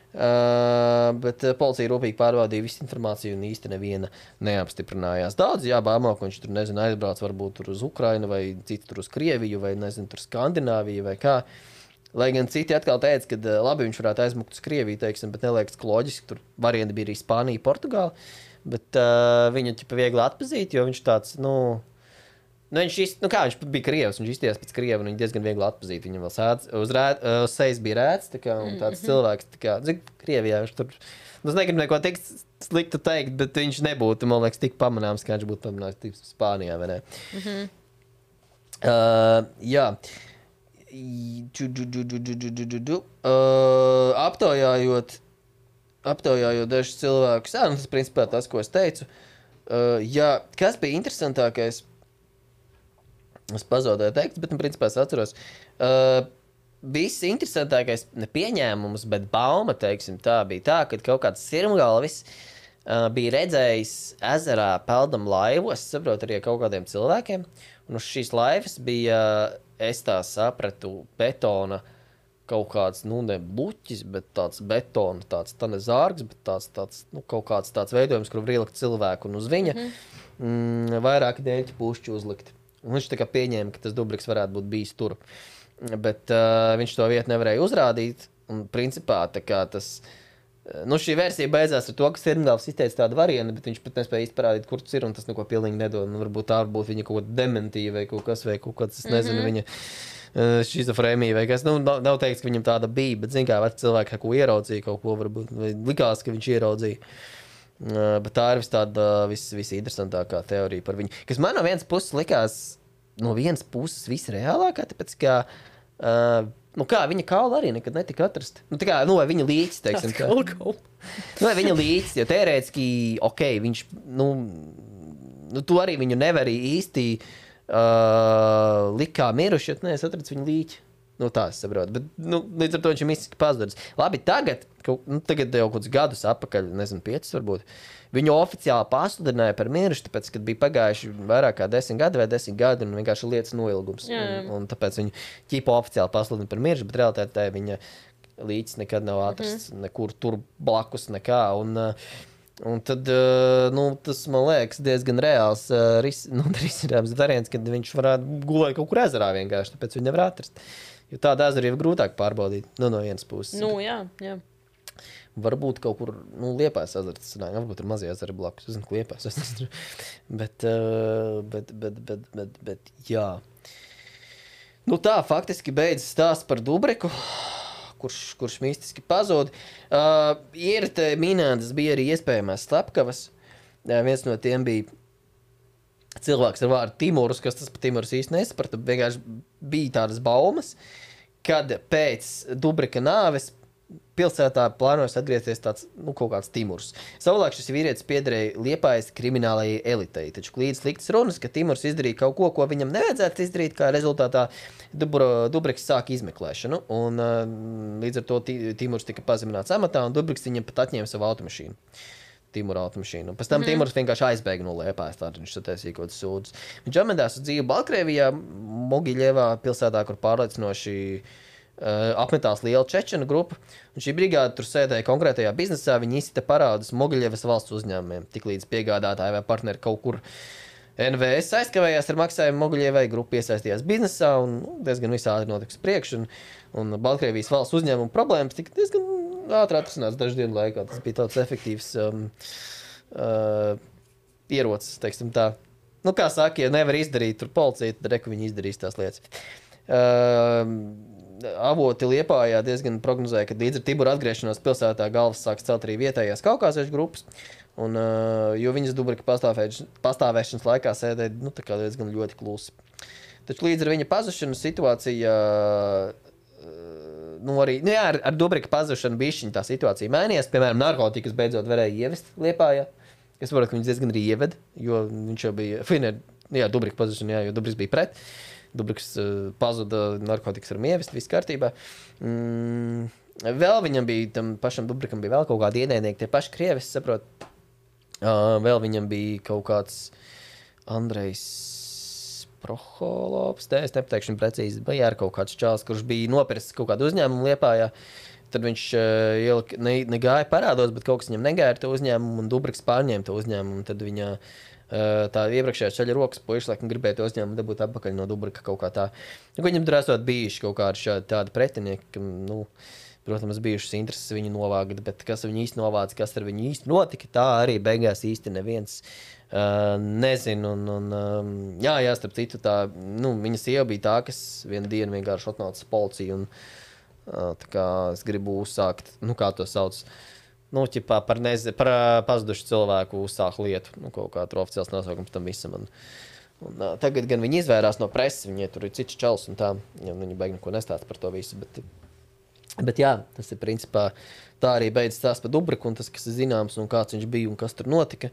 Bet policija rūpīgi pārbaudīja visu informāciju un īsti neviena neapstiprinājās. Daudz bāmo, ka viņš tur, nezinu, aizbrauc varbūt tur uz Ukrainu vai citi tur uz Krieviju vai, nezinu, tur Skandināviju vai kā. Lai gan citi atkal teica, ka labi viņš varētu aizmukt uz Krieviju, teiksim, bet neliekas loģiski, tur varianti bija arī Spānija, Portugāla, bet viņu ķipa viegli atpazīt, jo viņš tāds, viņš bija krievs, viņš izties pēc krievu, un viņš diezgan viegli atpazīt. Viņam vēl uz sejas bija rēts, un tāds cilvēks, Krievijā viņš tur, es negribu neko tik sliktu teikt, bet viņš nebūtu, man liekas, tik pamanāms, kā viņš būtu pamanāms Spānijā, vai ne? Jā. Aptaujājot dažus cilvēkus, tas principā tas, ko es teicu. Kas bija interesantākais? Es pazaudēju tekstu, bet, principā, es atceros. Viss interesantākais ne pieņēmums, bet bauma, teiksim, tā bija tā, kad kaut kāds sirmgalvis bija redzējis ezerā peldam laivu, es saprotu arī kaut kādiem cilvēkiem, un uz šīs laivas bija, es tā sapratu, betona kaut kāds, ne bluķis, bet tāds betona, tāds tā ne zārgs, bet tāds kaut kāds tāds veidojums, kur var ielikt cilvēku, un uz viņa vairāki dēļķi pušķi uzlikt. Un viņš tā kā pieņēma, ka tas Dubriks varētu būt bijis tur. Bet viņš to vietu nevarēja uzrādīt, un principā tā kā tas, šī versija beidzās ar to, ka Sirmgāls izteica tādu variantu, bet viņš pat nespēja izparādīt, kur tas ir, un tas neko pilnīgi nedod. Varbūt viņa kaut ko dementīja vai kaut kāds, es nezinu, viņa šizofrēmija vai kas. Nav teiks, ka viņam tāda bija, bet zin kā, veci cilvēki ko ieraudzīja, kaut ko varbūt, vai likās, ka viņš ieraudzīja. Bet tā ir visinteresantākā teorija par viņu. Kas man no vienas puses likās, visreālākā, tāpēc, ka viņa kaula arī nekad netika atrast. Vai viņa līķis, teiksim. Vai viņa līķis, jo teorētiski, viņš, tu arī viņu nevari īsti likt kā miruši, jo es atradu viņu līķi. Tā es saprotu, bet līdz ar to viņš ir mistiski pazudis. Labi, tagad jau kaut kādus gadus atpakaļ, nezinu, 5 varbūt, viņu oficiāli pasludināja par miruši, tāpēc, kad bija pagājuši vairāk kā 10 gadi vai 10 gadi, un vienkārši lietas noilgums. Un tāpēc viņu ķipa oficiāli pasludināja par miruši, bet realitātē viņa līķis nekad nav atrasts nekur tur blakus nekā. Un tad, tas, man liekas, diezgan reāls risinājums variants, kad viņš varētu gulēt kaut kur ezerā vienkārši, tāpēc viņu nevar atrast. Jo tāda ezera ir grūtāk pārbaudīt, no vienas puses. Jā. Varbūt kaut kur, Liepājas ezera, tas nāk, varbūt ir mazie ezeri blakus, es zinu, ka Liepājas ezera. Bet, jā. Tā faktiski beidzas stāsts par Dubriku, kurš mistiski pazūd. Ir te minētas, bija arī iespējamās slepkavas. Viens no tiem bija cilvēks ar vārdu Timurs, kas tas par Timurs īsti nesaprata. Vienkārši bija tādas baumas, kad pēc Dubrika nāves pilsētā plānojas atgriezties tāds, kaut kāds Timurs. Savulaik šis vīrietis piederēja Liepājas kriminālajai elitei, taču klīdz sliktas runas, ka Timurs izdarīja kaut ko viņam nevajadzētu izdarīt, kā rezultātā Dubriks sāka izmeklēšanu, un līdz ar to Timurs tika pazemināts amatā, un Dubriks viņam pat atņēma savu automašīnu. Timura automašīnu. Pēc tam Timurs vienkārši aizbēga no Liepājas, tātad viņš sataisīja kaut kāds sūdzes. Viņš apmetās uz dzīvi Baltkrievijā, Mogiļevā pilsētā, kur pārliecinoši apmetās liela čečenu grupa, un šī brigāde tur sēdēja konkrētajā biznesā, viņi izsita parādus Mogiļevas valsts uzņēmumiem, tiklīdz piegādātāji vai partneri kaut kur NVS aizkavējās ar maksājumu Mogiļevai, grupa iesaistījās biznesā, un diezgan visādi notiks priekš, un Baltkrievijas valsts uzņēmuma problēmas tika diezgan ātri atrisināts dažu dienu laikā. Tas bija tāds efektīvs ierocis, teiksim tā. Kā saka, ja nevar izdarīt tur policija, tad reku viņi izdarīs tās lietas. Avoti Liepājā diezgan prognozēja, ka līdz ar Tibura atgriešanos pilsētā galvas sāks celt arī vietējās kaukāziešu grupas, un, jo viņas Dubrika pastāvēšanas laikā sēdēja tā kā diezgan ļoti klusi. Taču līdz ar viņa pazušanu situācija ar Dubrika pazušanu bišķiņa tā situācija mainījās. Piemēram, narkotikas beidzot varēja ievest Liepājā. Es saprotu, ka viņus diezgan arī ieved, jo viņš jau bija, Dubrika pazušana, jo Dubriks bija pret. Dubriks pazuda narkotikas ar mievest, viss kārtībā. Vēl viņam bija, tam pašam Dubrikam bija vēl kaut kādi ienaidnieki, tie paši krievi, es saprotu. Vēl viņam bija kaut kāds Andrejs Proholovs, es nepateikšu precīzi, vai ar kaut kāds čāls, kurš bija nopircis kaut kādu uzņēmumu Liepājā. Tad viņš negāja parādos, bet kaut kas viņam negāja ar to uzņēmumu, un Dubriks pārņēma to uzņēmumu. Tad viņa tā iepriekšējā ceļa rokas puiši, laikam gribēja to uzņēmumu dabūt atpakaļ no Dubrika kaut kā tā. Viņam tur esot bijuši kaut kādi tādi pretinieki, ka, protams, bijušas intereses viņu novākt, bet kas viņu īsti novāca, kas ar viņu īsti notika, tā arī beigās īsti neviens nezinu. Jā, starp citu, viņa sieva bija tā, kas vienu dienu vienkārši atnāca policiju un tā kā es gribu uzsākt, kā to sauc, par pazudušu cilvēku uzsākt lietu, kaut kā tur oficiāls nosaukums tam visam. Un tagad gan viņi izvērās no preses, viņi tur ir cits čels un tā, ja viņi beig neko nestāst par to visu, bet jā, tas ir principā, tā arī beidz stāst par Dubriku un tas, kas ir zināms un kāds viņš bija un kas tur notika.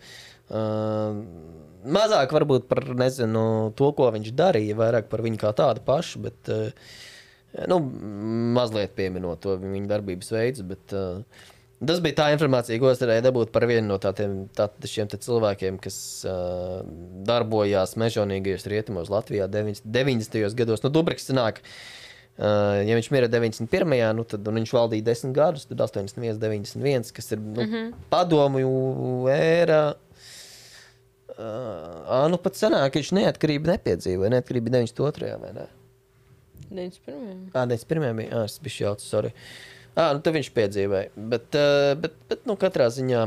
Mazāk varbūt par, to, ko viņš darīja, vairāk par viņu kā tādu pašu, bet mazliet pieminot to viņa darbības veids, bet tas bija tā informācija, ko es varēju dabūt par vienu no šiem cilvēkiem, kas darbojās mežonīgajos rietumos Latvijā 90. gados. Dubriks sanāk, ja viņš mira 91. Tad viņš valdīja 10 gadus, tad 81, 91, kas ir padomju ēra. Pat sanāk, viņš neatkarību nepiedzīvoja, neatkarība 92. vai ne? 91. 91. bija, es biju jauts, sorry. Tad viņš piedzīvēja, bet katrā ziņā,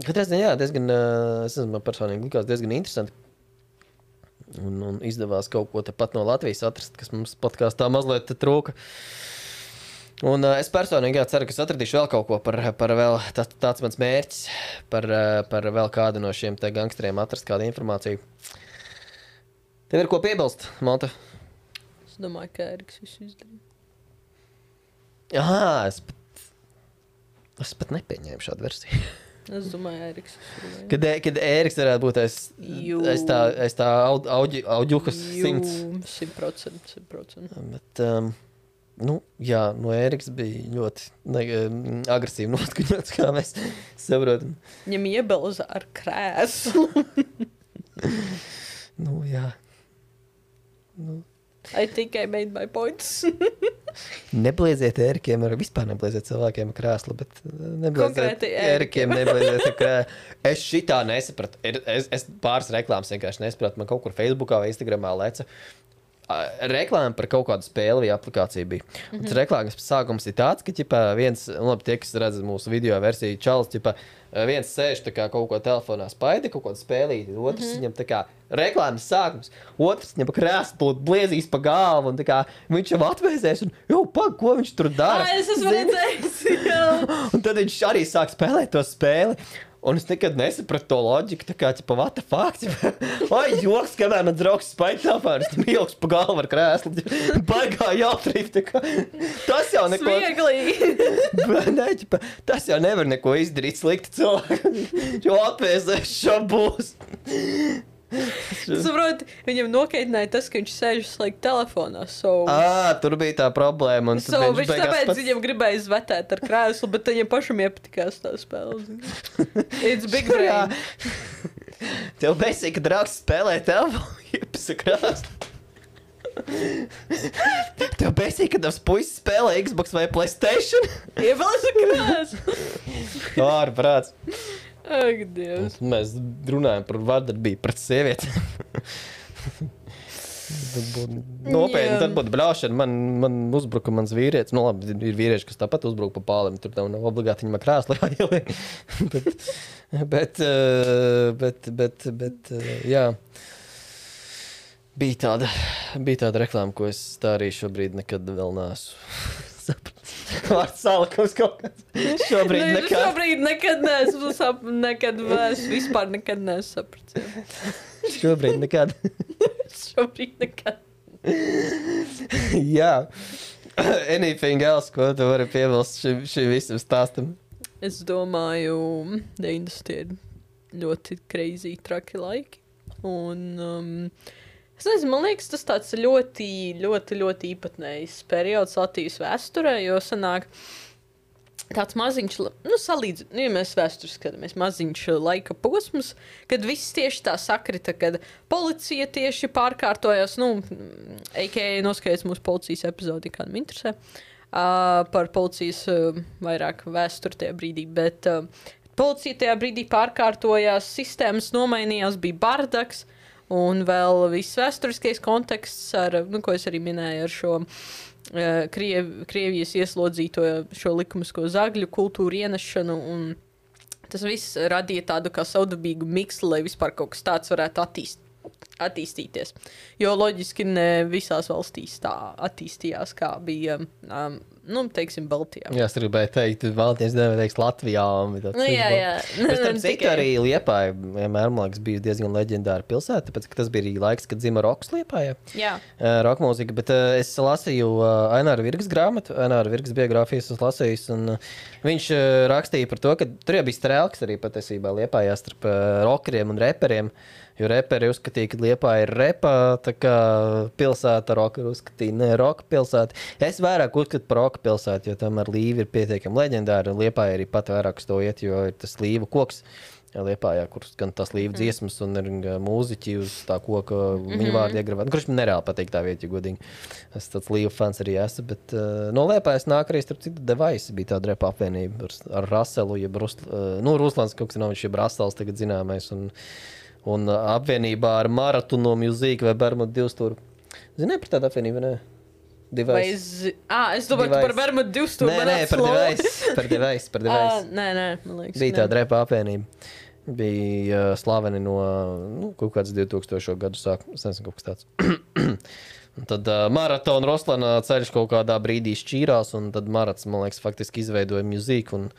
diezgan, es nezinu, man personīgi likās diezgan interesanti. Un izdevās kaut ko tepat no Latvijas atrast, kas mums podkāstā mazliet trūka. Un es personīgi ceru, ka es atradīšu vēl kaut ko par vēl, tāds mans mērķis, par vēl kādu no šiem te gangsteriem atrast kādu informāciju. Tev ir ko piebilst, Malta? Es domāju, ka Ēriks visu izdarīja. Es pat nepieņēmu šādu versiju. Es domāju, Ēriks. Kad Ēriks varētu būt aiz tā auģuhas 100. 100%. Bet, jā, Ēriks bija ļoti agresīvi noskaņots, kā mēs saprotam. Viņam iebelza ar krēslu. Jā. I think I made my points. Neblieziet Ērikiem, vispār neblieziet cilvēkiem ar krēslu, bet neblieziet Konkrēti Ērikiem, neblieziet ar krēslu. Es šitā nesapratu. Es pāris reklāmas vienkārši nesapratu. Man kaut kur Facebookā vai Instagramā leca. Reklāma par kaut kādu spēli vai aplikāciju bija. Un tas reklāmas sākums ir tāds, ka viens, tie, kas redz mūsu video versiju, čalis, viens sēž tā kā kaut ko telefonā spaida, kaut kādu spēlīti, otrs viņam tā kā reklāmas sākums, otrs viņam pa krēslu bliezīs pa galvu, un tā kā viņš jau atvēsēs, un ko viņš tur dara? Es esmu redzējis, jā. Un tad viņš arī sāk spēlēt to spēli. Un es nekad nesapratu to loģiku, tā kā, what the fuck, joks, kamēr man draugs spaida telefonu, tam ilgs pa galvu ar krēslu, baigā jautrīt, tā kā, tas jau neko... Smieglīgi! Tas jau nevar neko izdarīt slikti cilvēku, jo atvēsēs šo būs. Saproti, viņam nokaitināja tas, ka viņš sēž slēgt telefonā. Tur bija tā problēma. Viņš tāpēc viņam gribēja izvetēt ar krēslu, bet viņam pašam iepatikās tā spēle. It's big brain. Tev bēsīgi, ka draugs spēlē telefonu, iepasa krēslu. Tev bēsīgi, ka tavs puisis spēlē Xbox vai PlayStation? Iebalsa krēslu. Ārprāts. Ak, Dievs. Mēs runājam par vardarbību pret sievietēm. Nopietni, tad būtu bļaušana. Man uzbruka mans vīrietis. Labi, ir vīrieši, kas tāpat uzbruka pa pālim. Tur nav obligāti viņam krēslu jāieliek. bet, jā. Bija tāda reklāma, ko es tā arī šobrīd nekad vēl neesmu sapratis. Vārds salikums kaut kāds. Šobrīd nekad neesmu vispār nekad neesmu sapratis. Šobrīd nekad. Jā. Anything else, ko tu vari piebilst šim visam stāstam? Es domāju, 90 ir ļoti crazy, traki laiki. Un, es nezinu, man liekas, tas tāds ļoti īpatnējs periods Latvijas vēsturē, jo sanāk tāds maziņš, ja mēs vēsturi skatāmies, maziņš laika posms, kad viss tieši tā sakrita, kad policija tieši pārkārtojās, a.k.a. noskaidrs mūsu policijas epizodi, kādam interesē, par policijas vairāk vēsturi tajā brīdī, bet policija tajā brīdī pārkārtojās, sistēmas nomainījās, bija bardaks, un vēl viss vēsturiskais konteksts, ko es arī minēju ar šo Krievijas ieslodzīto šo likumisko zagļu kultūru ienešanu, un tas viss radīja tādu kā savdabīgu miksli, lai vispār kaut kas tāds varētu attīstīties. Jo loģiski ne visās valstīs tā attīstījās, kā bija, teiksim, Baltijā. Jā, es gribēju teikt, Baltijas teiks Latvijā. Jā. Bet tam citu arī Liepāja, vienmēr, man liekas, bija diezgan leģendāra pilsēta, tāpēc, ka tas bija arī laiks, kad dzima roks Liepājā. Jā. Roka mūzika, bet es lasīju Aināra Virgas grāmatu, Aināra Virgas biogrāfijas es lasījis, un viņš rakstīja par to, ka tur jau bija strēlks arī patiesībā Liepājā starp rokeriem un reperiem. Jo reperi uzskatīja, ka Liepāja ir repa, tā kā pilsēta, rokeri uzskatīja, ne roka pilsēta. Es vairāk uzskatu par roka pilsētu, jo tomēr Līva ir pietiekami leģendāra, un Liepāja arī pat vairāk uz to iet, jo ir tas Līva koks Liepājā, kur gan tas Līva dziesmas un ir mūziķi uz tā koka viņu vārdu iegravēt. Kurš man nereāli patīk tā vieta, jo godīgi. Es tāds Līva fans arī esmu, bet no Liepājas nāk arī starp citu Device, bija tāda repa apvienība ar Raselu, jeb Ruslans kaut kas nav, viņš jeb Rasels tagad zināmais, un apvienībā ar Maratonu Music vai Bermudu divstūru. Zini par tādu apvienību, ne? Device. Es domāju, tu par Bermudu divstūru. Nē, par Device. Nē, man liekas. Bija tāda repa apvienība. Bija slaveni no kaut kāds 2000. Gadu sākuma. Es nezinu, kaut kas tāds. Un tad Maratona Ruslana ceļš kaut kādā brīdī šķīrās, un tad Marats, man liekas, faktiski izveidoja mūziku un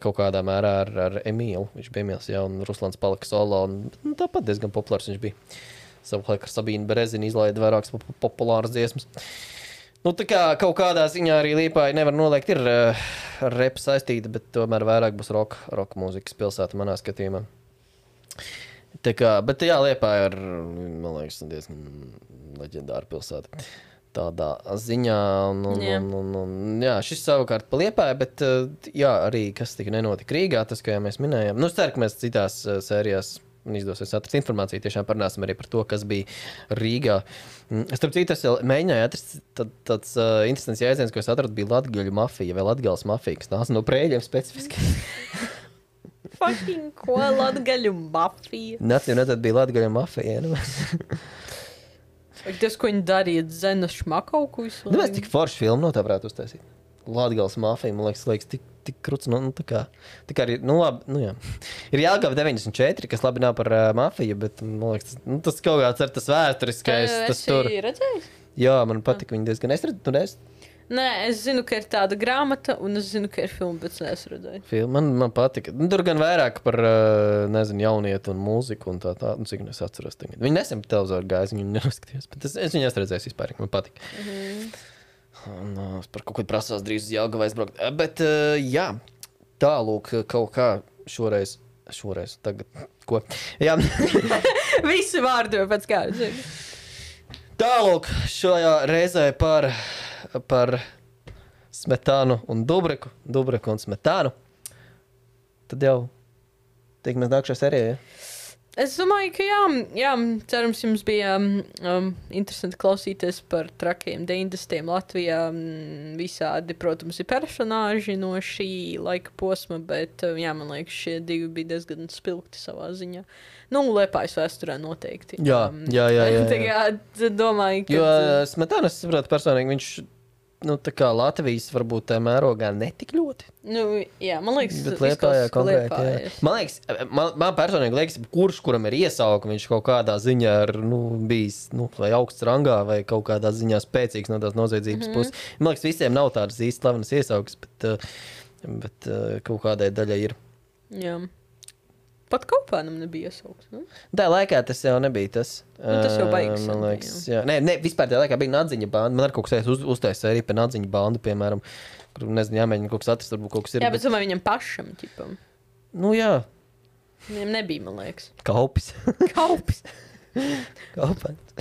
kaut kādā mērā ar Emīlu. Viņš bija Emīls, jā, un Ruslans palika solo, un tāpat diezgan populārs viņš bija. Savulaik ar Sabīnu Berezini izlaida vairākas populāras dziesmas. Tā kā kaut kādā ziņā arī Liepāja nevar noliegt, ir ar repu saistīta, bet tomēr vairāk būs roka mūzikas pilsēta manā skatījumā. Tā kā, bet jā, Liepāja ir, man liekas, diezgan leģendāra pilsēta. Tādā ziņā, jā, šis savukārt pa Liepāju, bet jā, arī kas tika nenotika Rīgā, tas, kā jau mēs minējām. Es ceru, ka mēs citās sērijās izdosies atrast informāciju, tiešām parunāsim arī par to, kas bija Rīgā. Starp citu, es mēģināju atrast tāds interesants jēdziens, ko es atradu, bija Latgaļu mafija vai Latgales mafija, kas nāca no Prēļiem specifiski. Fucking ko, Latgaļu mafija? Tad bija Latgaļu mafija, Tas, ko viņi darīja, Zena Šmakauku visu laiku. Mēs tik forši filmu no tā varētu uztaisīt. Latgales mafija, man liekas, tik kruts, tā kā arī, labi, jā. Ir Jelgava 94, kas labi nav par mafiju, bet, man liekas, tas kaut kāds ar tas vēsturiskais, tas tur. Esi redzējis? Jā, man patika viņi diezgan. Es redzu, Nē, es zinu, ka ir tāda grāmata, un es zinu, ka ir filma, bet es redzēju. Filma, man patika. Tur gan vairāk par, jaunietu un mūziku un tā, cik es atceros tagad. Viņi nesen pa televizoru gājas, viņi neraskatījās, bet es viņu redzēju vispār, man patika. Un es par kaut ko prasās drīz uz Jelgavu aizbraukt. Bet, jā, tālūk kaut kā šoreiz, tagad, ko? Jā. Visi vārdi jau pēc kāda. Tālūk šajā reizē par Smetānu un Dubreku un Smetānu. Tad jau tiekamies nākamajā sērijā, ja? Es domāju, ka jā, cerams, jums bija interesanti klausīties par trakiem 90. Latvijā. Visādi, protams, ir personāži no šī laika posma, bet, jā, man liekas, šie divi bija diezgan spilgti savā ziņā. Liepājas vēsturē noteikti. Jā. Tagad domāju, ka... Jo Smetāna, es saprotu personīgi, viņš tā kā Latvijas varbūt tā mērogā netik ļoti. Jā, man liekas, bet Liepājā konkrēti, jā. Man liekas, man personīgi liekas, kuram ir iesaukumi, viņš kaut kādā ziņā ir bijis vai augsts rangā, vai kaut kādā ziņā spēcīgs no tās noziedzības puses. Man liekas, visiem nav tādas īsti slavenas iesaukas, bet kaut kādai daļai ir. Jā. Pat Kaupēnam nebija iesauks, ne? Tā laikā tas jau nebija tas. Tas jau baigs. Man liekas, jā. Nē, vispār tā laikā bija Nadziņa banda. Man ar kaut kas uztaisa arī par Nadziņa bandu, piemēram, kur, nezinu, jāmēģina kaut kas atrast, varbūt kaut kas ir. Jā, bet domāju viņam pašam, ķipam. Jā. Viņam nebija, man liekas. Kaupis. Kaupis. Kaupens.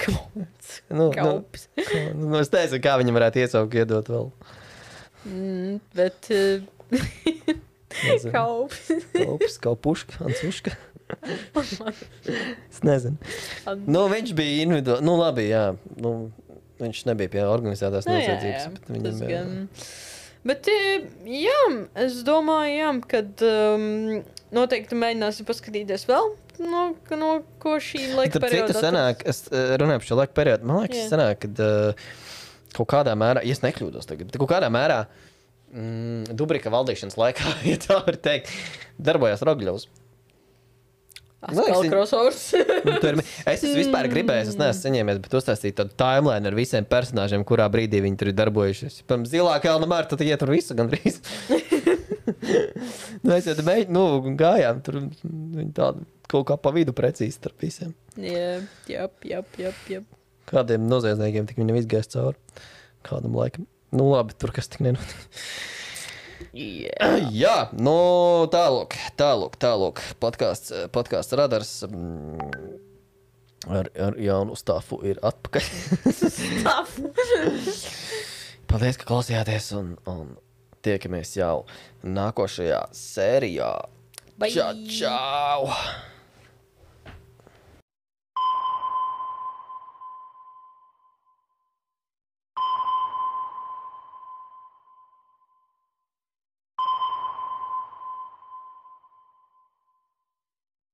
Kaupis. Nu, Kaupis. es nezinu, kā viņam varētu iesaukt iedot vēl. Bet... Nezinu. Kaupis. Kaupuška, Ansuška. Es nezinu. Nu, viņš bija individuāli. Nu, labi, jā. Nu, viņš nebija pie organizētās noziedzības. Bet viņam, jā. Bet, jā, es domāju, jā, kad noteikti mēģināsim paskatīties vēl, no ko šī laika perioda sanāk, es runāju par šo laika periodu. Man liekas, sanāk, kad kaut kādā mērā, ja es nekļūdos tagad, bet kaut kādā mērā Dubrika valdīšanas laikā, ja tā var teikt, darbojās Rogļovs. Atkal crossovers. Es esmu vispār gribējis, es neesmu saņēmies, bet uztaisīt tādu timeline ar visiem personāžiem, kurā brīdī viņi tur ir darbojušies. Pirms Zilā Kalna Marta, tad iet tur visu gandrīz. Mēs jau gājām, tur viņi tādu kaut kā pa vidu precīzi starp visiem. Jā. Kādiem noziedzniekiem tik viņam izgājis cauri. Kādam laikam. Nu labi, tur kas tik nenotiek. Jā, nu tālūk. Podcasts Radars ar jaunu stāfu ir atpakaļ. Paldies, ka klausījāties un tiekamies jau nākošajā sērijā. Bye. Čau!